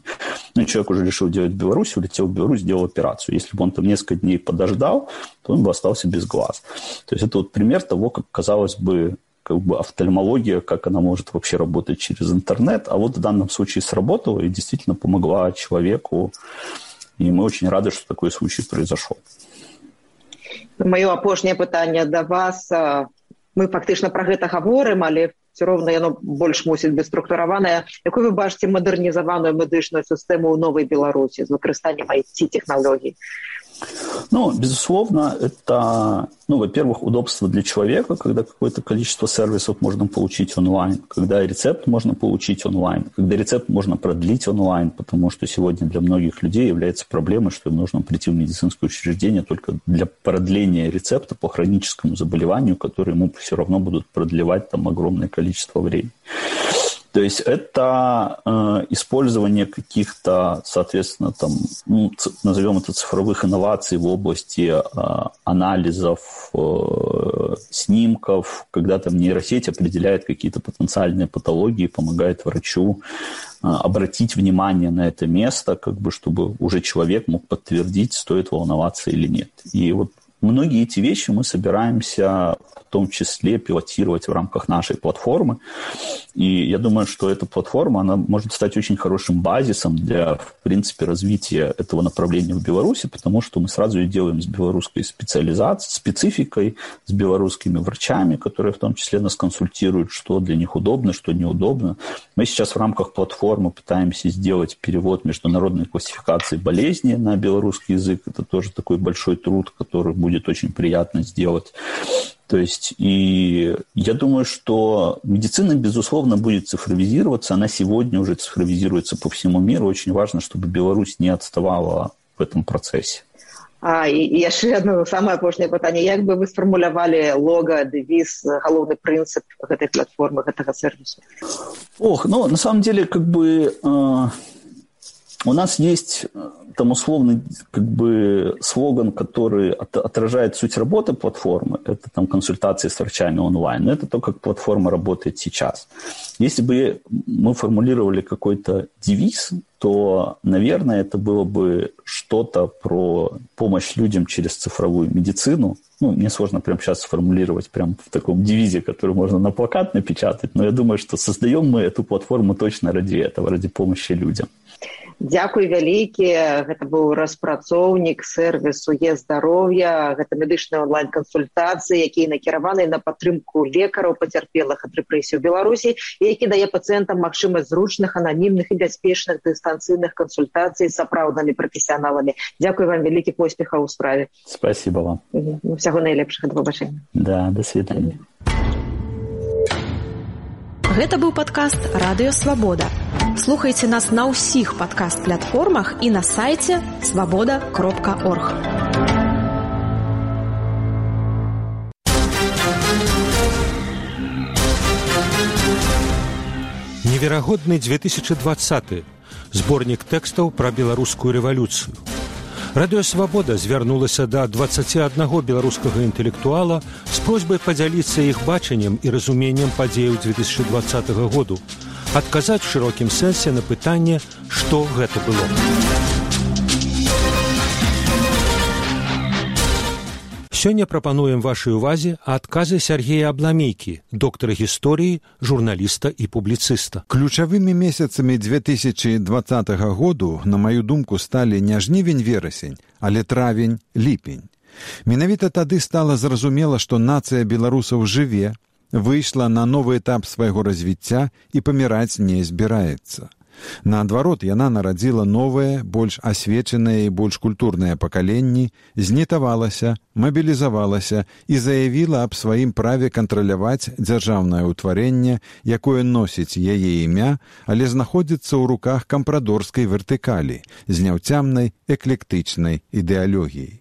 Speaker 7: Человек уже решил делать в Беларусь, улетел в Беларусь, сделал операцию. Если бы он там несколько дней подождал, то он бы остался без глаз. То есть это вот пример того, как, казалось бы, офтальмология, как она может вообще работать через интернет. А вот в данном случае сработала и действительно помогла человеку. И мы очень рады, что такой случай произошел.
Speaker 6: Маё апошняе пытанне да вас. Мы фактычна пра гэта гаворым, але все роўна яно больш мусіць быць структураванае. Якую вы бачыце мадэрнізаваную медычную сістэму ў новай Беларусі з выкарыстаннем IT-тэхналогій?
Speaker 7: Ну, безусловно, это, во-первых, удобство для человека, когда какое-то количество сервисов можно получить онлайн, когда рецепт можно получить онлайн, когда рецепт можно продлить онлайн, потому что сегодня для многих людей является проблемой, что им нужно прийти в медицинское учреждение только для продления рецепта по хроническому заболеванию, которое ему все равно будут продлевать там огромное количество времени. То есть это использование каких-то, соответственно, там, назовем это цифровых инноваций в области анализов, снимков, когда там нейросеть определяет какие-то потенциальные патологии, помогает врачу обратить внимание на это место, как бы, чтобы уже человек мог подтвердить, стоит волноваться или нет. И вот многие эти вещи мы собираемся в том числе пилотировать в рамках нашей платформы. И я думаю, что эта платформа, она может стать очень хорошим базисом для, в принципе, развития этого направления в Беларуси, потому что мы сразу ее делаем с белорусской спецификой, с белорусскими врачами, которые в том числе нас консультируют, что для них удобно, что неудобно. Мы сейчас в рамках платформы пытаемся сделать перевод международной классификации болезней на белорусский язык. Это тоже такой большой труд, который будет очень приятно сделать. То есть, и я думаю, что медицина, безусловно, будет цифровизироваться. Она сегодня уже цифровизируется по всему миру. Очень важно, чтобы Беларусь не отставала в этом процессе.
Speaker 6: І яшчэ одно самае апошняе пытанне. Як бы вы сфармулявалі лога, дэвіз, галоўны прынцып гэтай платформы, гэтага сервису?
Speaker 7: На самом деле, у нас есть там условный слоган, который отражает суть работы платформы. Это там консультации с врачами онлайн. Но это то, как платформа работает сейчас. Если бы мы формулировали какой-то девиз, то, наверное, это было бы что-то про помощь людям через цифровую медицину. Мне сложно прямо сейчас сформулировать прям в таком девизе, который можно на плакат напечатать, но я думаю, что создаем мы эту платформу точно ради этого, ради помощи людям.
Speaker 6: Дзякуй вялікі. Гэта быў распрацоўнік сервису Е-здароўя. Гэта медычныя онлайн-кансультацыі, якія накіраваны на падтрымку лекараў, пацярпелых ад рэпрэсій у Беларусі, і які дае пацыентам магчымасць зручных, ананімных і бяспечных дыстанцыйных кансультацый з сапраўднымі прафесіяналамі. Дзякуй вам вялікі, поспехаў у справе.
Speaker 7: Спасибо вам.
Speaker 6: Всяго найлепшага, да пабачэння.
Speaker 7: Да, до свидания.
Speaker 1: Гэта быў падкаст «Радыё Свабода». Слухайце нас на ўсіх падкаст-платформах і на сайце свабода.орг.
Speaker 8: Неверагодны 2020. Зборнік тэкстаў пра беларускую рэвалюцыю. Радыё Свабода звярнулася да 21 беларускага інтэлектуала з просьбай падзяліцца іх бачаннем і разуменнем падзеяў 2020 году, адказаць у шырокім сэнсе на пытанне, што гэта было. Сёння прапануем вашай увазе адказы Сергея Абламейкі, доктара гісторыі, журналіста і публіцыста.
Speaker 9: Ключавымі месяцамі 2020 году, на маю думку, сталі не жнівень-верасень, але травень-ліпень. Менавіта тады стала зразумела, што нацыя беларусаў жыве, выйшла на новы этап свайго развіцця і паміраць не збіраецца. Наадварот, яна нарадзіла новыя, больш асвечаныя і больш культурныя пакаленні, знітавалася, мабілізавалася і заявіла аб сваім праве кантраляваць дзяржаўнае ўтварэнне, якое носіць яе імя, але знаходзіцца ў руках кампрадорскай вертыкалі з няўцямнай эклектычнай ідэалогіяй.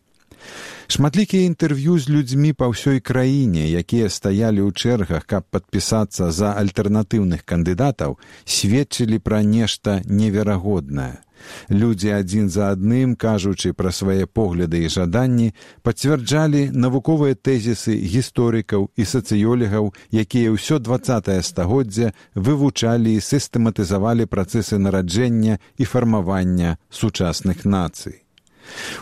Speaker 9: Шматлікія інтэрв'ю з людзьмі па ўсёй краіне, якія стаялі ў чэргах, каб падпісацца за альтэрнатыўных кандыдатаў, сведчылі пра нешта неверагоднае. Людзі адзін за адным, кажучы пра свае погляды і жаданні, пацвярджалі навуковыя тэзісы гісторыкаў і сацыёлегаў, якія ўсё 20-е стагоддзе вывучалі і сістэматызавалі працэсы нараджэння і фармавання сучасных нацый.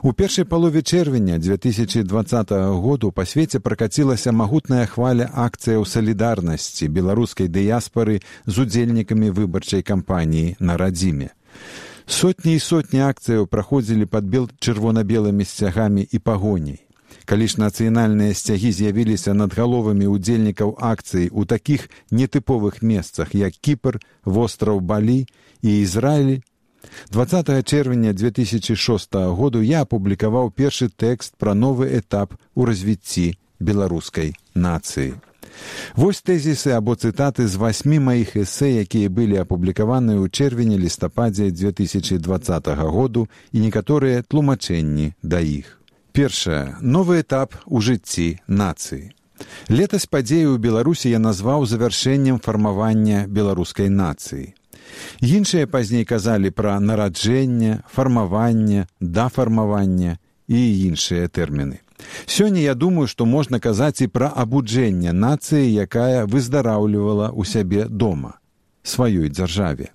Speaker 9: У першай палове чэрвеня 2020 году па свеце пракацілася магутная хваля акцыяў салідарнасці беларускай дыяспары з удзельнікамі выбарчай кампаніі на радзіме. Сотні і сотні акцыяў праходзілі пад чырвона-белымі сцягамі і пагоняй. Калі ж нацыянальныя сцягі з'явіліся над галовамі удзельнікаў акцыі ў такіх нетыповых месцах, як Кіпр, востраў Балі і Ізраіль, 20 чэрвеня 2006 году я апублікаваў першы тэкст пра новы этап у развіцці беларускай нацыі. Вось тэзісы або цытаты з 8 маіх эсэ, якія былі апублікаваныя ў чэрвені-лістападзе 2020 году і некаторыя тлумачэнні да іх. Першае. Новы этап у жыцці нацыі. Летась падзею ў Беларусі я назваў завяршэннем фармавання беларускай нацыі. Іншыя пазней казалі пра нараджэнне, фармаванне, дафармаванне і іншыя тэрміны. Сёння я думаю, што можна казаць і пра абуджэнне нацыі, якая выздараўлівала ў сябе дома, сваёй дзяржаве.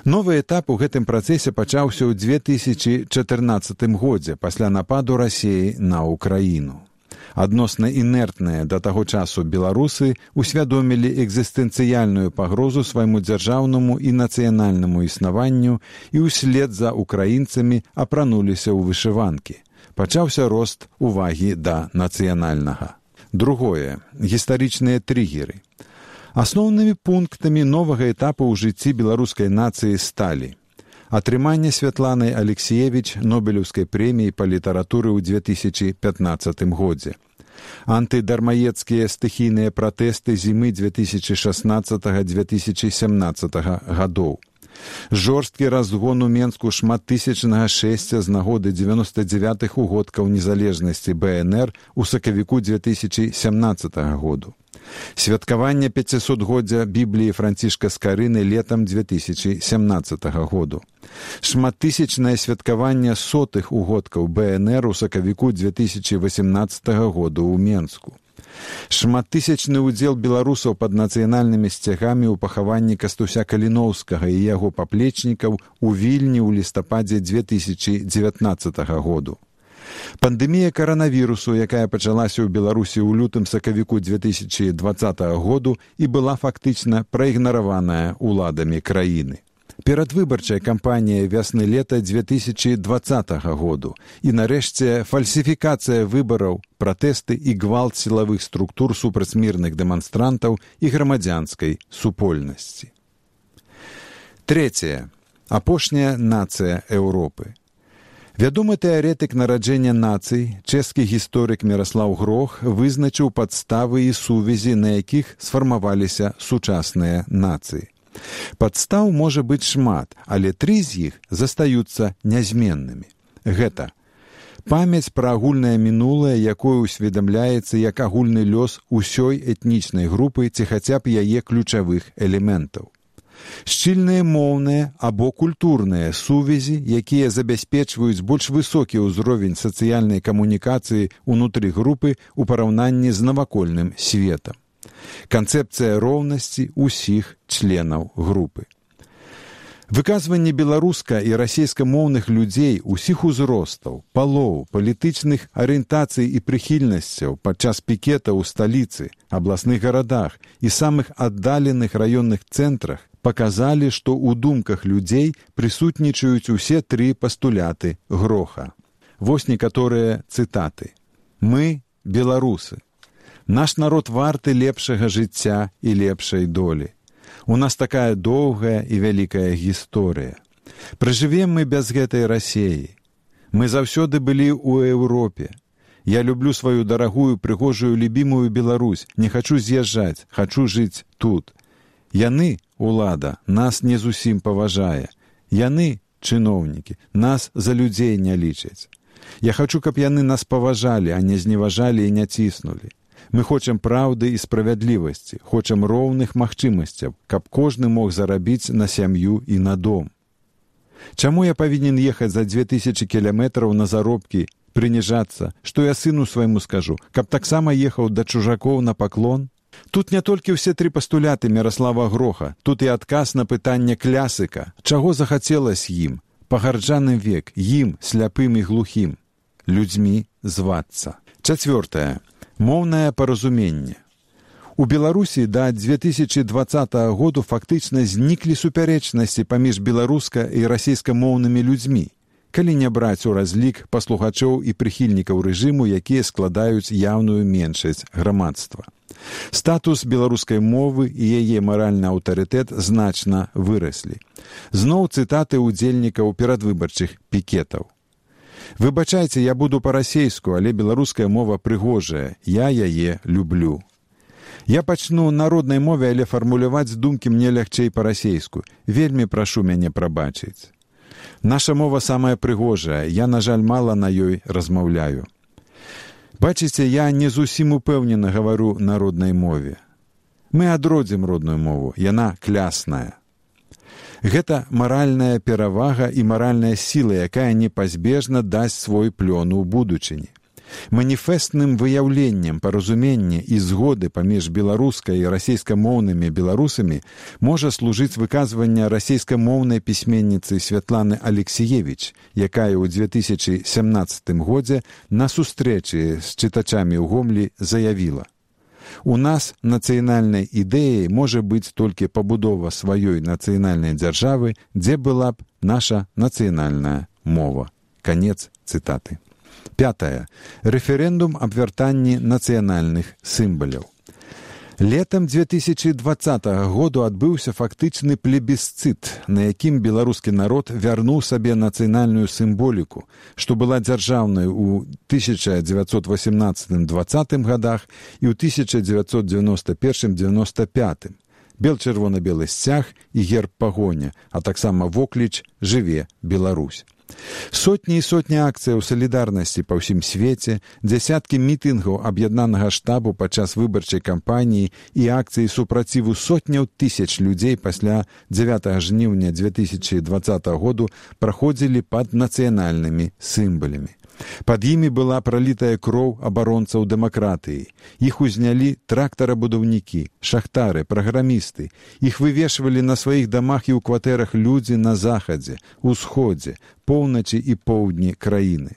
Speaker 9: Новы этап у гэтым працэсе пачаўся ў 2014 годзе пасля нападу Расіі на Ўкраіну. Адносна інертныя да таго часу беларусы усвядомілі экзістэнцыяльную пагрозу свайму дзяржаўнаму і нацыянальнаму існаванню і ўслед за украінцамі апрануліся ў вышыванкі. Пачаўся рост увагі да нацыянальнага. Другое. Гістарычныя трыгеры. Асноўнымі пунктамі новага этапу ў жыцці беларускай нацыі сталі атрыманне Святланай Алексіевіч Нобелеўскай прэміі па літаратуры ў 2015 годзе, антыдармаедскія стыхійныя пратэсты зімы 2016-2017 гадоў, жорсткі разгон у Менску шматтысячнага шэсця з нагоды 99-х угодкаў незалежнасці БНР у сакавіку 2017 году, святкаванне 500-годдзя Бібліі Францішка Скарыны летам 2017 году, шматтысячнае святкаванне сотых угодкаў БНР у сакавіку 2018 году ў Менску, шматтысячны ўдзел беларусаў пад нацыянальнымі сцягамі ў пахаванні Кастуся Каліноўскага і яго паплечнікаў у Вільні ў лістападзе 2019 году. Пандэмія каранавірусу, якая пачалася ў Беларусі ў лютым-сакавіку 2020 году і была фактычна праігнараваная ўладамі краіны. Перадвыбарчая кампанія вясны-лета 2020 году і, нарэшце, фальсіфікацыя выбараў, пратэсты і гвалт сілавых структур супраць мірных дэманстрантаў і грамадзянскай супольнасці. Трэцяе. Апошняя нацыя Еўропы. Вядомы тэарэтык нараджэння нацый, чэшскі гісторык Міраслаў Грох вызначыў падставы і сувязі, на якіх сфармаваліся сучасныя нацыі. Падстаў можа быць шмат, але 3 з іх застаюцца нязменнымі. Гэта памяць пра агульнае мінулае, якое усведамляецца як агульны лёс усёй этнічнай групы ці хаця б яе ключавых элементаў. Шчыльныя моўныя або культурныя сувязі, якія забяспечваюць больш высокі ўзровень сацыяльнай камунікацыі ўнутры групы ў параўнанні з навакольным светам. Канцэпцыя роўнасці ўсіх членаў групы. Выказванне беларуска- і расейскамоўных людзей усіх узростаў, палоў, палітычных арыентацый і прыхільнасцяў падчас пікета ў сталіцы, абласных гарадах і самых аддаленых раённых цэнтрах паказалі, што ў думках людзей прысутнічаюць усе 3 пастуляты Гроха. Вось некаторыя цытаты. Мы – беларусы. Наш народ варты лепшага жыцця і лепшай долі. У нас такая доўгая і вялікая гісторыя. Пражывем мы без гэтай Расіі. Мы заўсёды былі ў Еўропе. Я люблю сваю дарагую, прыгожую, любімую Беларусь. Не хачу з'язджаць, хачу жыць тут. Яны, улада, нас не зусім паважае. Яны, чыноўнікі, нас за людзей не лічаць. Я хачу, каб яны нас паважалі, а не зневажалі і не ціснулі. Мы хочам праўды і справядлівасці, хочам роўных магчымасцяў, каб кожны мог зарабіць на сям'ю і на дом. Чаму я павінен ехаць за 2000 кіламетраў на заробкі, прыніжацца, што я сыну свайму скажу, каб таксама ехаў да чужакоў на паклон? Тут не толькі ўсе 3 пастуляты Міраслава Гроха, тут і адказ на пытанне клясыка, чаго захацелася ім, пагарджаны век, ім, сляпым і глухім, людзьмі звацца. Чацвёртае. Моўнае паразуменне. У Беларусі да 2020 году фактычна зніклі супярэчнасці паміж беларуска- і расейскамоўнымі людзьмі, калі не браць у разлік паслухачоў і прыхільнікаў рэжыму, якія складаюць яўную меншасць грамадства. Статус беларускай мовы і яе маральны аўтарытэт значна выраслі. Зноў цытаты ўдзельнікаў перадвыбарчых пікетаў. «Выбачайце, я буду па-расейску, але беларуская мова прыгожая, я яе люблю. Я пачну на роднай мове, але фармуляваць думкі мне лягчэй па-расейску. Вельмі прашу мяне прабачыць. Наша мова самая прыгожая, я, на жаль, мала на ёй размаўляю. Бачыце, я не зусім упэўнена гавару на роднай мове. Мы адродзім родную мову, яна клясная. Гэта маральная перавага і маральная сіла, якая непазбежна дасць свой плён у будучыні. Маніфестным выяўленнем паразумення і згоды паміж беларускай і расейскамоўнымі беларусамі можа служыць выказванне расейскамоўнай пісьменніцы Святланы Алексіевіч, якая ў 2017 годзе на сустрэчы з чытачамі ў Гомлі заявіла: «У нас нацыянальнай ідэяй можа быць толькі пабудова сваёй нацыянальнай дзяржавы, дзе была б наша нацыянальная мова». Канец цытаты. 5. Рэферэндум аб вяртанні нацыянальных сімваляў. Летам 2020 году адбыўся фактычны плебісцыт, на якім беларускі народ вярнуў сабе нацыянальную сімволіку, што была дзяржаўнай у 1918-20 годах і ў 1991-95. Бел-чырвона-белы сцяг і герб пагоня, а таксама вокліч «Жыве Беларусь». Сотні і сотні акцыяў салідарнасці па ўсім свеце, дзясяткі мітынгаў аб'яднанага штабу падчас выбарчай кампаніі і акцыі супраціву сотняў тысяч людзей пасля 9 жніўня 2020 году праходзілі пад нацыянальнымі сімвалямі. Пад імі была пралітая кроў абаронцаў дэмакратыі. Іх узнялі трактарабудаўнікі, шахтары, праграмісты. Іх вывешвалі на сваіх дамах і ў кватэрах людзі на захадзе, усходзе, поўначы і поўдні краіны.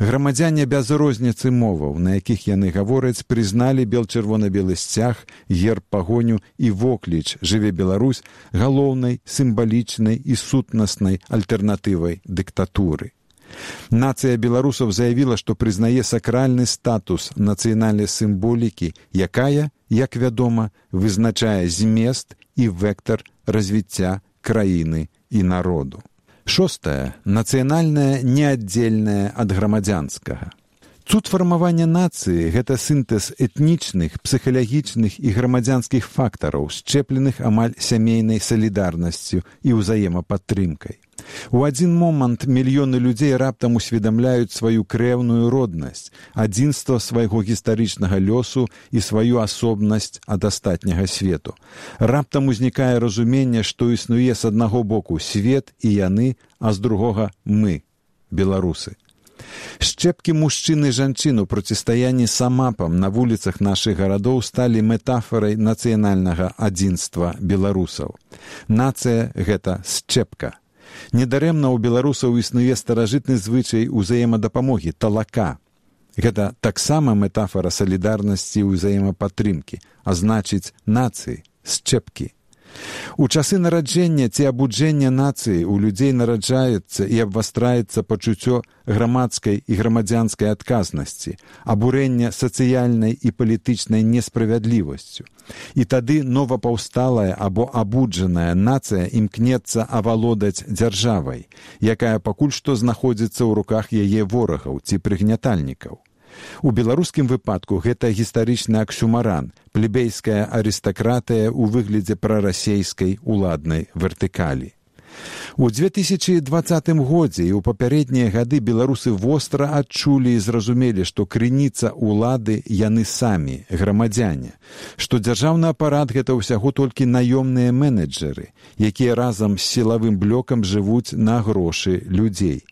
Speaker 9: Грамадзяне без розніцы моваў, на якіх яны гавораць, прызналі бел-чырвона-белы сцяг, герб пагоню і вокліч «Жыве Беларусь» галоўнай, сімвалічнай і сутнаснай альтэрнатывай дыктатуры. Нацыя беларусаў заявіла, што прызнае сакральны статус нацыянальнай сімволікі, якая, як вядома, вызначае змест і вектар развіцця краіны і народу. 6. Нацыянальнае неаддзельнае ад грамадзянскага. Цуд фармавання нацыі – гэта сінтэз этнічных, псіхалагічных і грамадзянскіх фактараў, счэпленых амаль сямейнай салідарнасцю і ўзаемападтрымкай. У адзін момант мільёны людзей раптам усведамляюць сваю крэўную роднасць, адзінства свайго гістарычнага лёсу і сваю асобнасць ад астатняга свету. Раптам узнікае разуменне, што існуе з аднаго боку свет і яны, а з другога мы, беларусы. Шчэпкі мужчын і жанчын у процістаянні самапам на вуліцах нашых гарадоў сталі метафорай нацыянальнага адзінства беларусаў. Нацыя – гэта шчэпка. Недарэмна ў беларусаў існуе старажытны звычай узаемадапамогі – талака. Гэта таксама метафора салідарнасці і ўзаемападтрымкі, а значыць нацыі, шчэпкі. У часы нараджэння ці абуджэння нацыі у людзей нараджаецца і абвастраецца пачуццё грамадскай і грамадзянскай адказнасці, абурэння сацыяльнай і палітычнай несправядлівасцю. І тады новапаўсталая або абуджаная нацыя імкнецца авалодаць дзяржавай, якая пакуль што знаходзіцца ў руках яе ворагаў ці прыгнятальнікаў. У беларускім выпадку гэта гістарычны аксюмаран, плебейская арыстакратыя ў выглядзе прарасейскай уладнай вертыкалі. У 2020 годзе і ў папярэднія гады беларусы востра адчулі і зразумелі, што крыніца улады яны самі, грамадзяне, што дзяржаўны апарат гэта ўсяго толькі наёмныя менеджеры, якія разам з сілавым блокам жывуць на грошы людзей.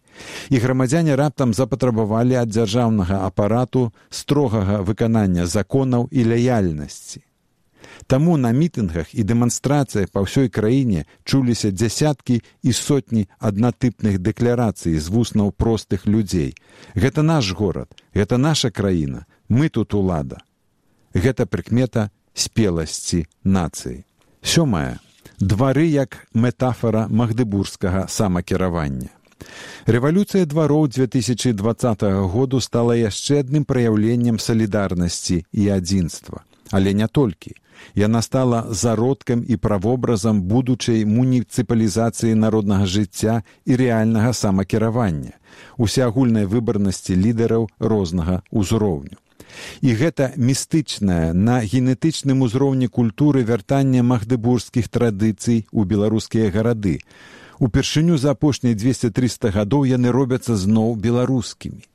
Speaker 9: І грамадзяне раптам запатрабавалі ад дзяржаўнага апарату строгага выканання законаў і лаяльнасці. Таму на мітынгах і дэманстрацыях па ўсёй краіне чуліся дзясяткі і сотні аднатыпных дэкларацый з вуснаў простых людзей. Гэта наш горад, гэта наша краіна, мы тут улада. Гэта прыкмета спеласці нацыі. 7. Двары як метафора магдыбургскага самакіравання. Рэвалюцыя двароў 2020 году стала яшчэ адным праяўленнем салідарнасці і адзінства. Але не толькі. Яна стала зародкам і правобразам будучай муніцыпалізацыі народнага жыцця і рэальнага самакіравання, усеагульнай выбарнасці лідараў рознага ўзроўню. І гэта містычнае на генетычным узроўні культуры вяртання магдыбургскіх традыцый у беларускія гарады. Упершыню за апошнія 200-300 гадоў яны робяцца зноў беларускімі.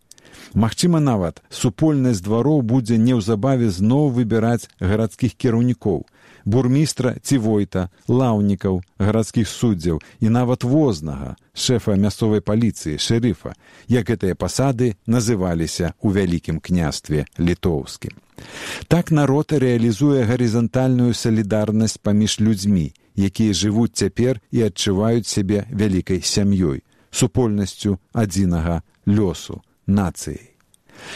Speaker 9: Магчыма, нават супольнасць двароў будзе неўзабаве зноў выбіраць гарадскіх кіраўнікоў, бурмістра ці войта, лаўнікаў, гарадскіх суддзяў і нават вознага, шэфа мясцовай паліцыі, шэрыфа, як гэтыя пасады называліся ў Вялікім княстве літоўскім. Так народ рэалізуе гарызантальную салідарнасць паміж людзьмі, якія жывуць цяпер і адчуваюць сябе вялікай сям'ёй, супольнасцю адзінага лёсу, нацыяй.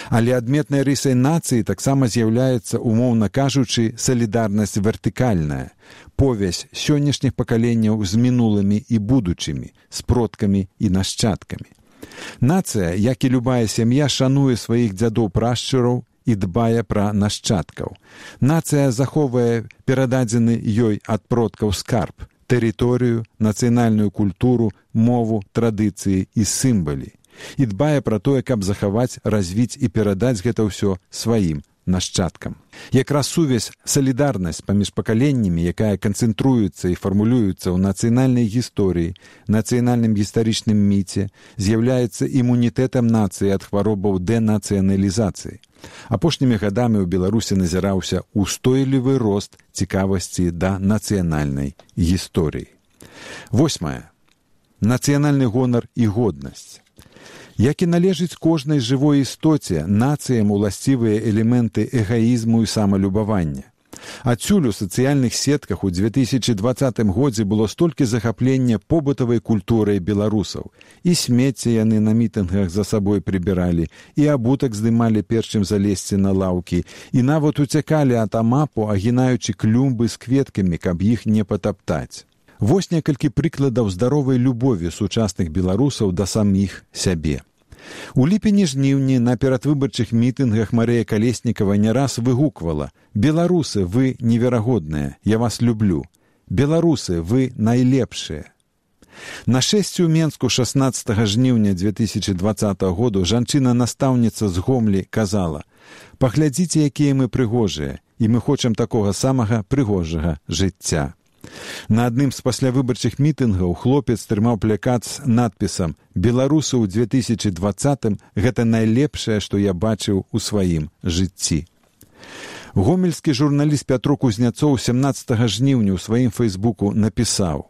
Speaker 9: Але адметнай рысай нацыі таксама з'яўляецца, умоўна кажучы, салідарнасць вертыкальная, повязь сённяшніх пакаленняў з мінулымі і будучымі, з продкамі і нашчадкамі. Нацыя, як і любая сям'я, шануе сваіх дзядоў-прашчураў і дбае пра нашчадкаў. Нацыя захоўвае перададзены ёй ад продкаў скарб, тэрыторыю, нацыянальную культуру, мову, традыцыі і сімвалы. І дбае пра тое, каб захаваць, развіць і перадаць гэта ўсё сваім нашчадкам. Якраз сувязь, салідарнасць паміж пакаленнямі, якая канцэнтруецца і фармулюецца ў нацыянальнай гісторыі, нацыянальным гістарычным міце, з'яўляецца імунітэтам нацыі ад хваробаў дэнацыяналізацыі. Апошнімі гадамі ў Беларусі назіраўся устойлівы рост цікавасці да нацыянальнай гісторыі. 8. Нацыянальны гонар і годнасць. Як і належыць кожнай жывой істоце, нацыям уласцівыя элементы эгаізму і самалюбавання. Адсюль у сацыяльных сетках у 2020 годзе было столькі захаплення побытавай культурай беларусаў. І смецце яны на мітынгах за сабой прыбіралі, і абутак здымалі перш чым залезці на лаўкі, і нават уцякалі ад амапу, агінаючы клумбы з кветкамі, каб іх не патаптаць. Вось некалькі прыкладаў здаровай любові сучасных беларусаў да саміх сябе. У ліпені-жніўні на перадвыбарчых мітынгах Марыя Калеснікава не раз выгуквала: «Беларусы, вы неверагодныя, я вас люблю. Беларусы, вы найлепшыя». На шэсці ў Менску 16 жніўня 2020 году жанчына-настаўніца з Гомлі казала: «Паглядзіце, якія мы прыгожыя, і мы хочам такога самага прыгожага жыцця». На адным з паслявыбарчых мітынгаў хлопец трымаў плакат з надпісам «Беларусы ў 2020 гэта найлепшае, што я бачыў у сваім жыцці». Гомельскі журналіст Пятро Кузняцоў 17 жніўня ў сваім фэйсбуку напісаў: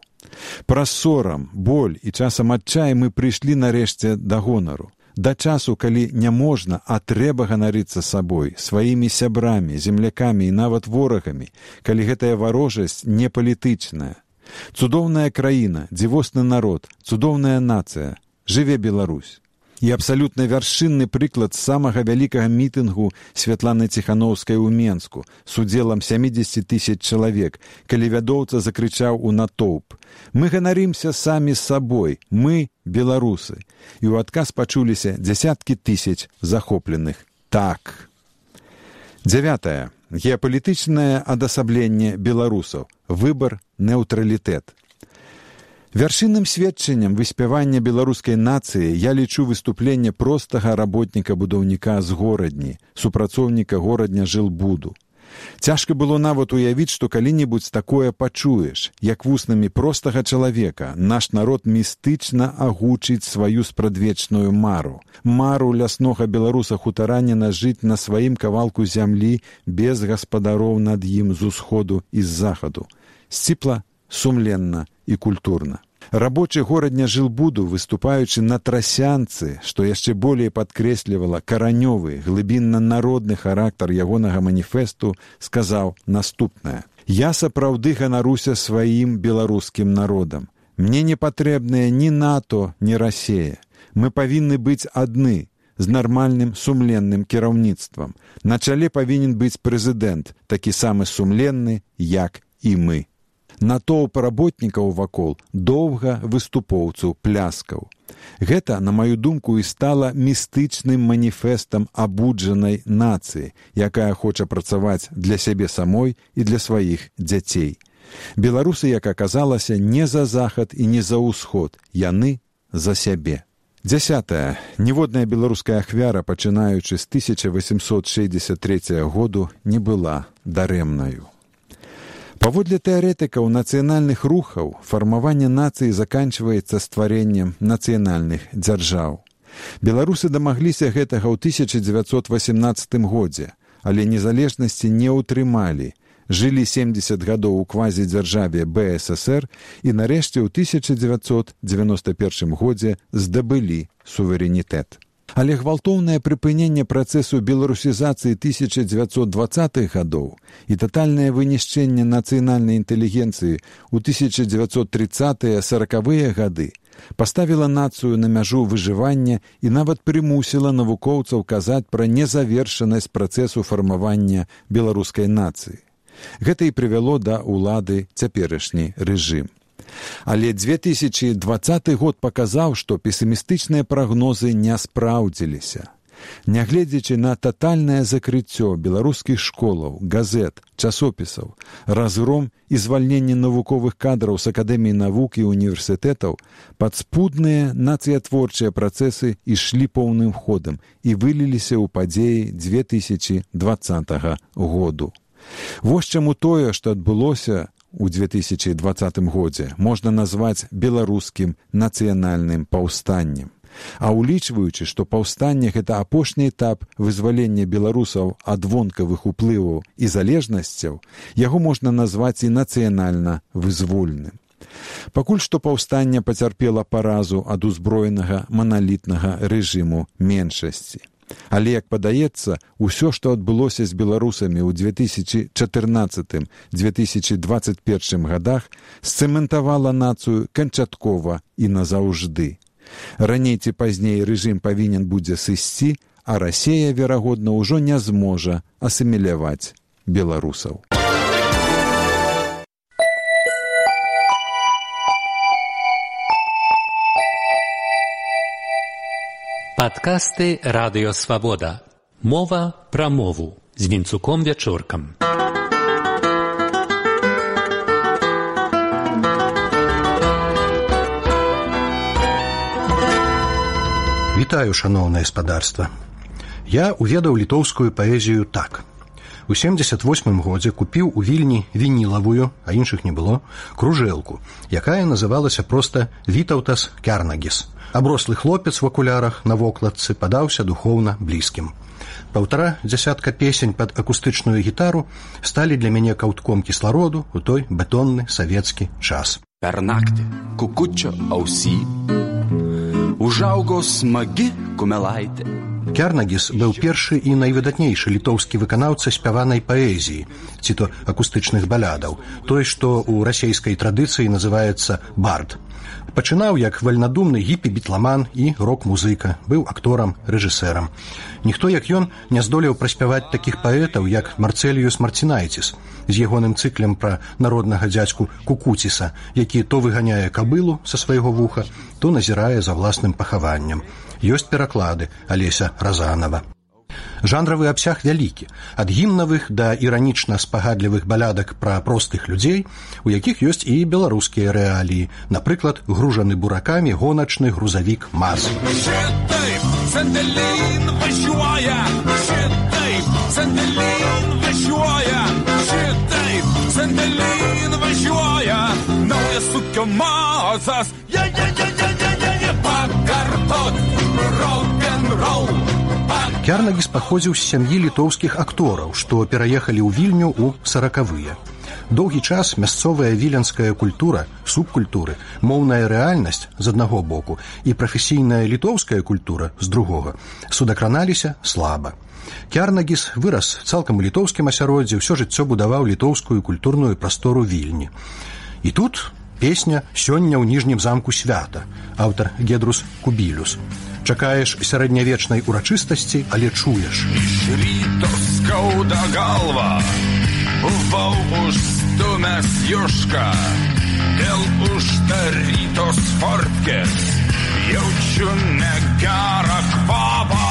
Speaker 9: «Праз сорам, боль і часам адчай мы прыйшлі нарэшце да гонару. Да часу, калі не можна, а трэба ганарыцца сабой, сваімі сябрамі, землякамі і нават ворагамі, калі гэтая варожасць не палітычная. Цудоўная краіна, дзівосны народ, цудоўная нацыя. Жыве Беларусь». І абсалютна вяршынны прыклад самага вялікага мітынгу Святланы Ціханаўскай у Менску з удзелам 70 000 чалавек, калі вядоўца закрычаў у натоўп: «Мы ганарымся самі з сабой, мы беларусы». І ў адказ пачуліся дзясяткі тысяч захопленых «так». 9. Геапалітычнае адасабленне беларусаў. Выбар, нейтралітэт. Вяршынным сведчаннем выспявання беларускай нацыі я лічу выступленне простага работніка-будаўніка з горадні, супрацоўніка горадня жылбуду. Цяжка было нават уявіць, што калі-небудзь такое пачуеш, як вуснамі простага чалавека наш народ містычна агучыць сваю спрадвечную мару. Мару ляснога беларуса-хутараніна жыць на сваім кавалку зямлі без гаспадароў над ім з усходу і з захаду. Сціпла, сумленна і культурна. Рабочы горадня жылбуду, выступаючы на трасянцы, што яшчэ болей падкрэслівала каранёвы, глыбінна-народны характар ягонага маніфесту, сказаў наступнае: «Я сапраўды ганаруся сваім беларускім народам. Мне не патрэбныя ні НАТО, ні Расія. Мы павінны быць адны, з нармальным сумленным кіраўніцтвам. На чале павінен быць прэзідэнт, такі самы сумленны, як і мы». Натоўп работнікаў вакол доўга выступоўцаў пляскаў. Гэта, на маю думку, і стала містычным маніфестам абуджанай нацыі, якая хоча працаваць для сябе самой і для сваіх дзяцей. Беларусы, як аказалася, не за захад і не за ўсход, яны за сябе. 10. Ніводная беларуская ахвяра, пачынаючы з 1863 году, не была дарэмнаю. Паводле тэарэтыкаў нацыянальных рухаў, фармаванне нацыі заканчваецца стварэннем нацыянальных дзяржаў. Беларусы дамагліся гэтага ў 1918 годзе, але незалежнасці не ўтрымалі, жылі 70 гадоў у квазідзяржаве БССР і нарэшце ў 1991 годзе здабылі суверэнітэт. Але гвалтоўнае прыпыненне працэсу беларусізацыі 1920-х гадоў і татальнае вынішчэнне нацыянальнай інтэлігенцыі ў 1930-40-е гады паставіла нацыю на мяжу выжывання і нават прымусіла навукоўцаў казаць пра незавершанасць працэсу фармавання беларускай нацыі. Гэта і прывяло да ўлады цяперашні рэжым. Але 2020 год паказаў, што песімістычныя прагнозы не спраўдзіліся. Нягледзячы на татальнае закрыццё беларускіх школаў, газет, часопісаў, разгром і звальненне навуковых кадраў з акадэміі навук і універсітэтаў, падспудныя нацыятворчыя працэсы ішлі поўным ходам і выліліся ў падзеі 2020 году. Вось чаму тое, што адбылося у 2020 годзе, можна назваць беларускім нацыянальным паўстаннем. А улічваючы, што паўстанне – гэта апошні этап вызвалення беларусаў ад вонкавых уплываў і залежнасцяў, яго можна назваць і нацыянальна вызвольным. Пакуль што паўстанне пацярпела паразу ад узброенага маналітнага рэжыму меншасці. Але, як падаецца, усё, што адбылося з беларусамі ў 2014-2021 гадах, сцэментавала нацыю канчаткова і назаўжды. Раней ці пазней рэжым павінен будзе сысці, а Расія, верагодна, ўжо не зможа асіміляваць беларусаў.
Speaker 10: Падкасты «Радыё Свабода». Мова пра мову з Вінцуком Вячоркам.
Speaker 11: Вітаю, шаноўнае гаспадарства. Я уведаў літоўскую паэзію так. У 78 годзе купіў у Вільні вінілавую, а іншых не было, кружэлку, якая называлася проста «Вітаўтас Кярнагіс». Аброслы хлопец в акулярах на вокладцы падаўся духоўна блізкім. 1,5 дзясятка песень пад акустычную гітару сталі для мяне каўтком кіслароду ў той бетонны савецкі час.
Speaker 12: Pernakti kukučio ausy užaugo smagi kumelaitė.
Speaker 11: Кярнагіс быў першы і найвыдатнейшы літоўскі выканаўца спяванай паэзіі, ці то акустычных балядаў, той, што ў расейскай традыцыі называецца бард. Пачынаў як вальнадумны гіпі-бітламан і рок-музыка, быў акторам, рэжысэрам. Ніхто, як ён, не здолеў праспяваць такіх паэтаў, як Марцэліюс Марцінайціс, з ягоным цыклем пра народнага дзядзьку Кукуціса, які то выганяе кабылу са свайго вуха, то назірае за власным пахаваннем. Ёсць пераклады Алеся Разанова. Жанравы абсяг вялікі, ад гімнавых да іранічна-спагадлівых балядак пра простых людзей, у якіх ёсць і беларускія рэаліі, напрыклад, гружаны буракамі гоначны грузавік МАЗ. Кярнагіс паходзіў з сям'і літоўскіх актораў, што пераехалі ў Вільню ў 40-е. Доўгі час мясцовая віленская культура, субкультуры, моўная рэальнасць з аднаго боку і прафесійная літоўская культура з другога судакраналіся слаба. Кярнагіс вырас цалкам у літоўскім асяроддзі, ўсё жыццё будаваў літоўскую культурную прастору Вільні. І тут песня «Сёння ў ніжнім замку свята», аўтар Гедрус Кубілюс. Чакаеш сярэднявечнай урачыстасці, але чуеш.
Speaker 12: Iš ryto skauda galva, buvau už stumęs Juška, dėl uždarytos fortkės jaučiu negerą kvapą.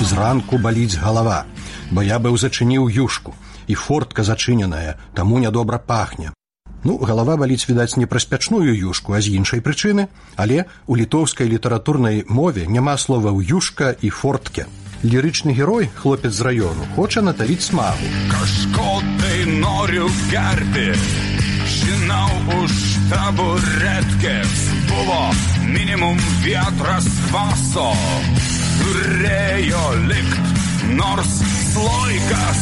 Speaker 11: Зранку баліць галава, бо я быў зачыніў Юшку, і фортка зачыненая, таму нядобра пахне. Галава баліць, відаць, не праз пячную Юшку, а з іншай прычыны, але у літоўскай літаратурнай мове няма словаў Юшка і фортке. Лірычны герой, хлопец з раёну, хоча наталіць смагу.
Speaker 12: Kažkodai noriu gerti, žinau, už taburetkės buvo minimum vietras kvaso, turėjo likt nors sloikas.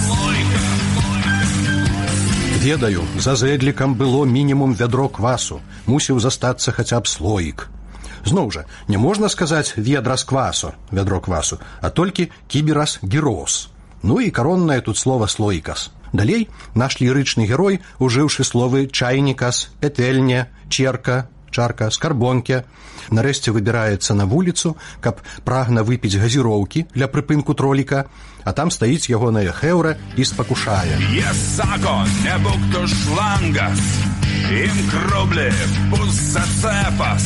Speaker 11: Ведаю, за зэдлікам было мінімум вядро квасу, мусіў застацца хаця б слоік. Зноў жа, не можна сказаць ведра з квасу, вядро квасу, а толькі кіберас гірос. І кароннае тут слова слоікас. Далей наш лірычны герой, ужыўшы словы чайнікас, петэльня, черка, чарка, скарбонке, нарэшце выбіраецца на вуліцу, каб прагна выпіць газіроўкі для прыпынку троліка, а там стаіць ягоная хэўра і спакушае.
Speaker 12: Sako, nebūk tu šlangas, imk rublį, bus atcepas,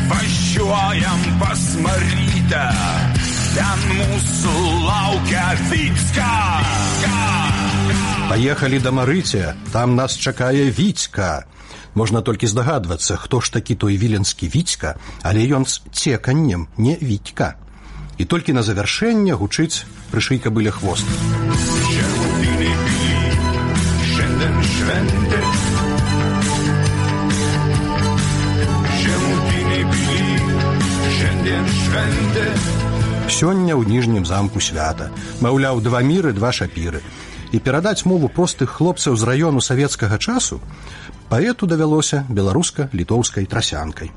Speaker 12: važiuojam pas Marytę, ten mūsų laukia Віцька.
Speaker 11: Паехалі да Марыця, там нас чакае Віцька. Можна толькі здагадвацца, хто ж такі той віленскі Віцька, але ён з цеканнем, не Вітька. І толькі на завяршэнне гучыць «Прышый кабыле хвост». Сёння ў ніжнім замку свята. Маўляў, 2 міры, 2 шапіры. І перадаць мову простых хлопцаў з раёну савецкага часу паэту давялося беларуска-літоўскай трасянкай.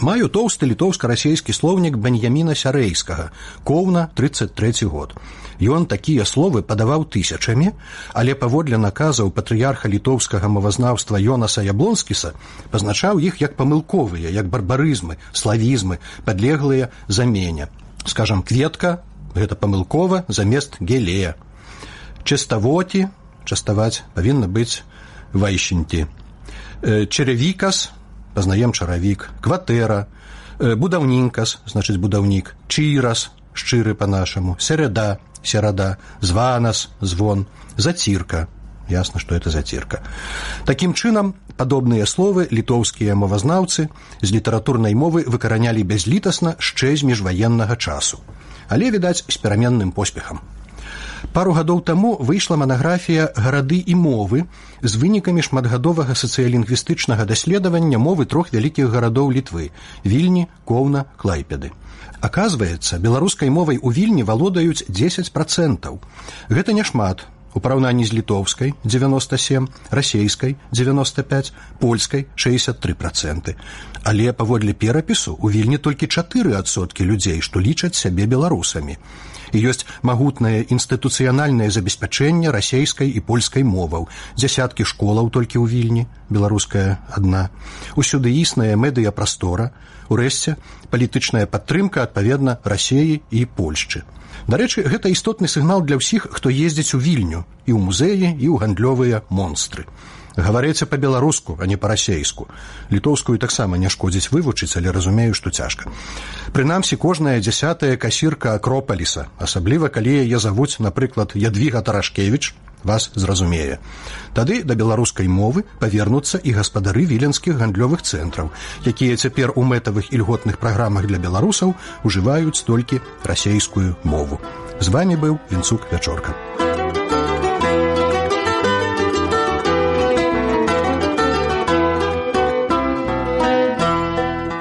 Speaker 11: Маю тоўсты літоўска-расейскі слоўнік Беньяміна Сярэйскага, Коўна, 33 год. Ён такія словы падаваў тысячамі, але паводле наказаў патрыярха літоўскага мовазнаўства Йонаса Яблонскіса пазначаў іх як памылковыя, як барбарызмы, славізмы, падлеглыя замене. Скажам, кветка – гэта памылкова замест гелея. Частавоці, частаваць, павінна быць вайшеньці. Чаравікас, пазнаем чаравік, кватэра, будаўнінкас, значыць будаўнік, чырас, шчыры па-нашаму, середа, серада, званас, звон, зацірка, ясна, што это зацірка. Такім чынам, падобныя словы літоўскія мовазнаўцы з літаратурнай мовы выкаранялі бязлітасна шчэ з міжваеннага часу, але, відаць, з пераменным поспехам. Пару гадоў таму выйшла манаграфія «Гарады і мовы» з вынікамі шматгадовага сацыялінгвістычнага даследавання мовы 3 вялікіх гарадоў Літвы – Вільні, Коўна, Клайпеды. Аказваецца, беларускай мовай у Вільні валодаюць 10%. Гэта няшмат у параўнанні з літоўскай – 97%, расейскай – 95%, польскай – 63%. Але паводле перапісу у Вільні толькі 4% людзей, што лічаць сябе беларусамі. І ёсць магутнае інстытуцыянальнае забеспячэнне расейскай і польскай моваў, дзясяткі школаў толькі ў Вільні, беларуская адна. Усюды існая медыяпрастора, урэшце палітычная падтрымка адпаведна Расеі і Польшчы. Дарэчы, гэта істотны сігнал для ўсіх, хто ездзіць у Вільню, і ў музеі, і ў гандлёвыя монстры. Гаварыце па-беларуску, а не па-расейску. Літоўскую таксама не шкодзіць вывучыць, але разумею, што цяжка. Прынамсі, кожная 10-я касірка Акропаліса, асабліва калі яе завуць, напрыклад, Ядвіга Тарашкевіч, вас зразумее. Тады да беларускай мовы павернуцца і гаспадары віленскіх гандлёвых цэнтраў, якія цяпер у мэтавых і льготных праграмах для беларусаў ужываюць толькі расейскую мову. З вамі быў Вінцук Вячорка.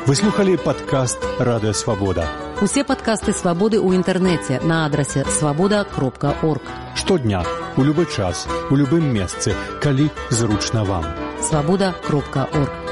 Speaker 13: Вы слухали падкаст «Радыё Свабода».
Speaker 14: Усе падкасты «Свабоды» ў інтэрнэце на адрасе свабода.орг.
Speaker 13: Штодня, у любы час, у любым месцы, калі зручна вам.
Speaker 14: Свабода.орг.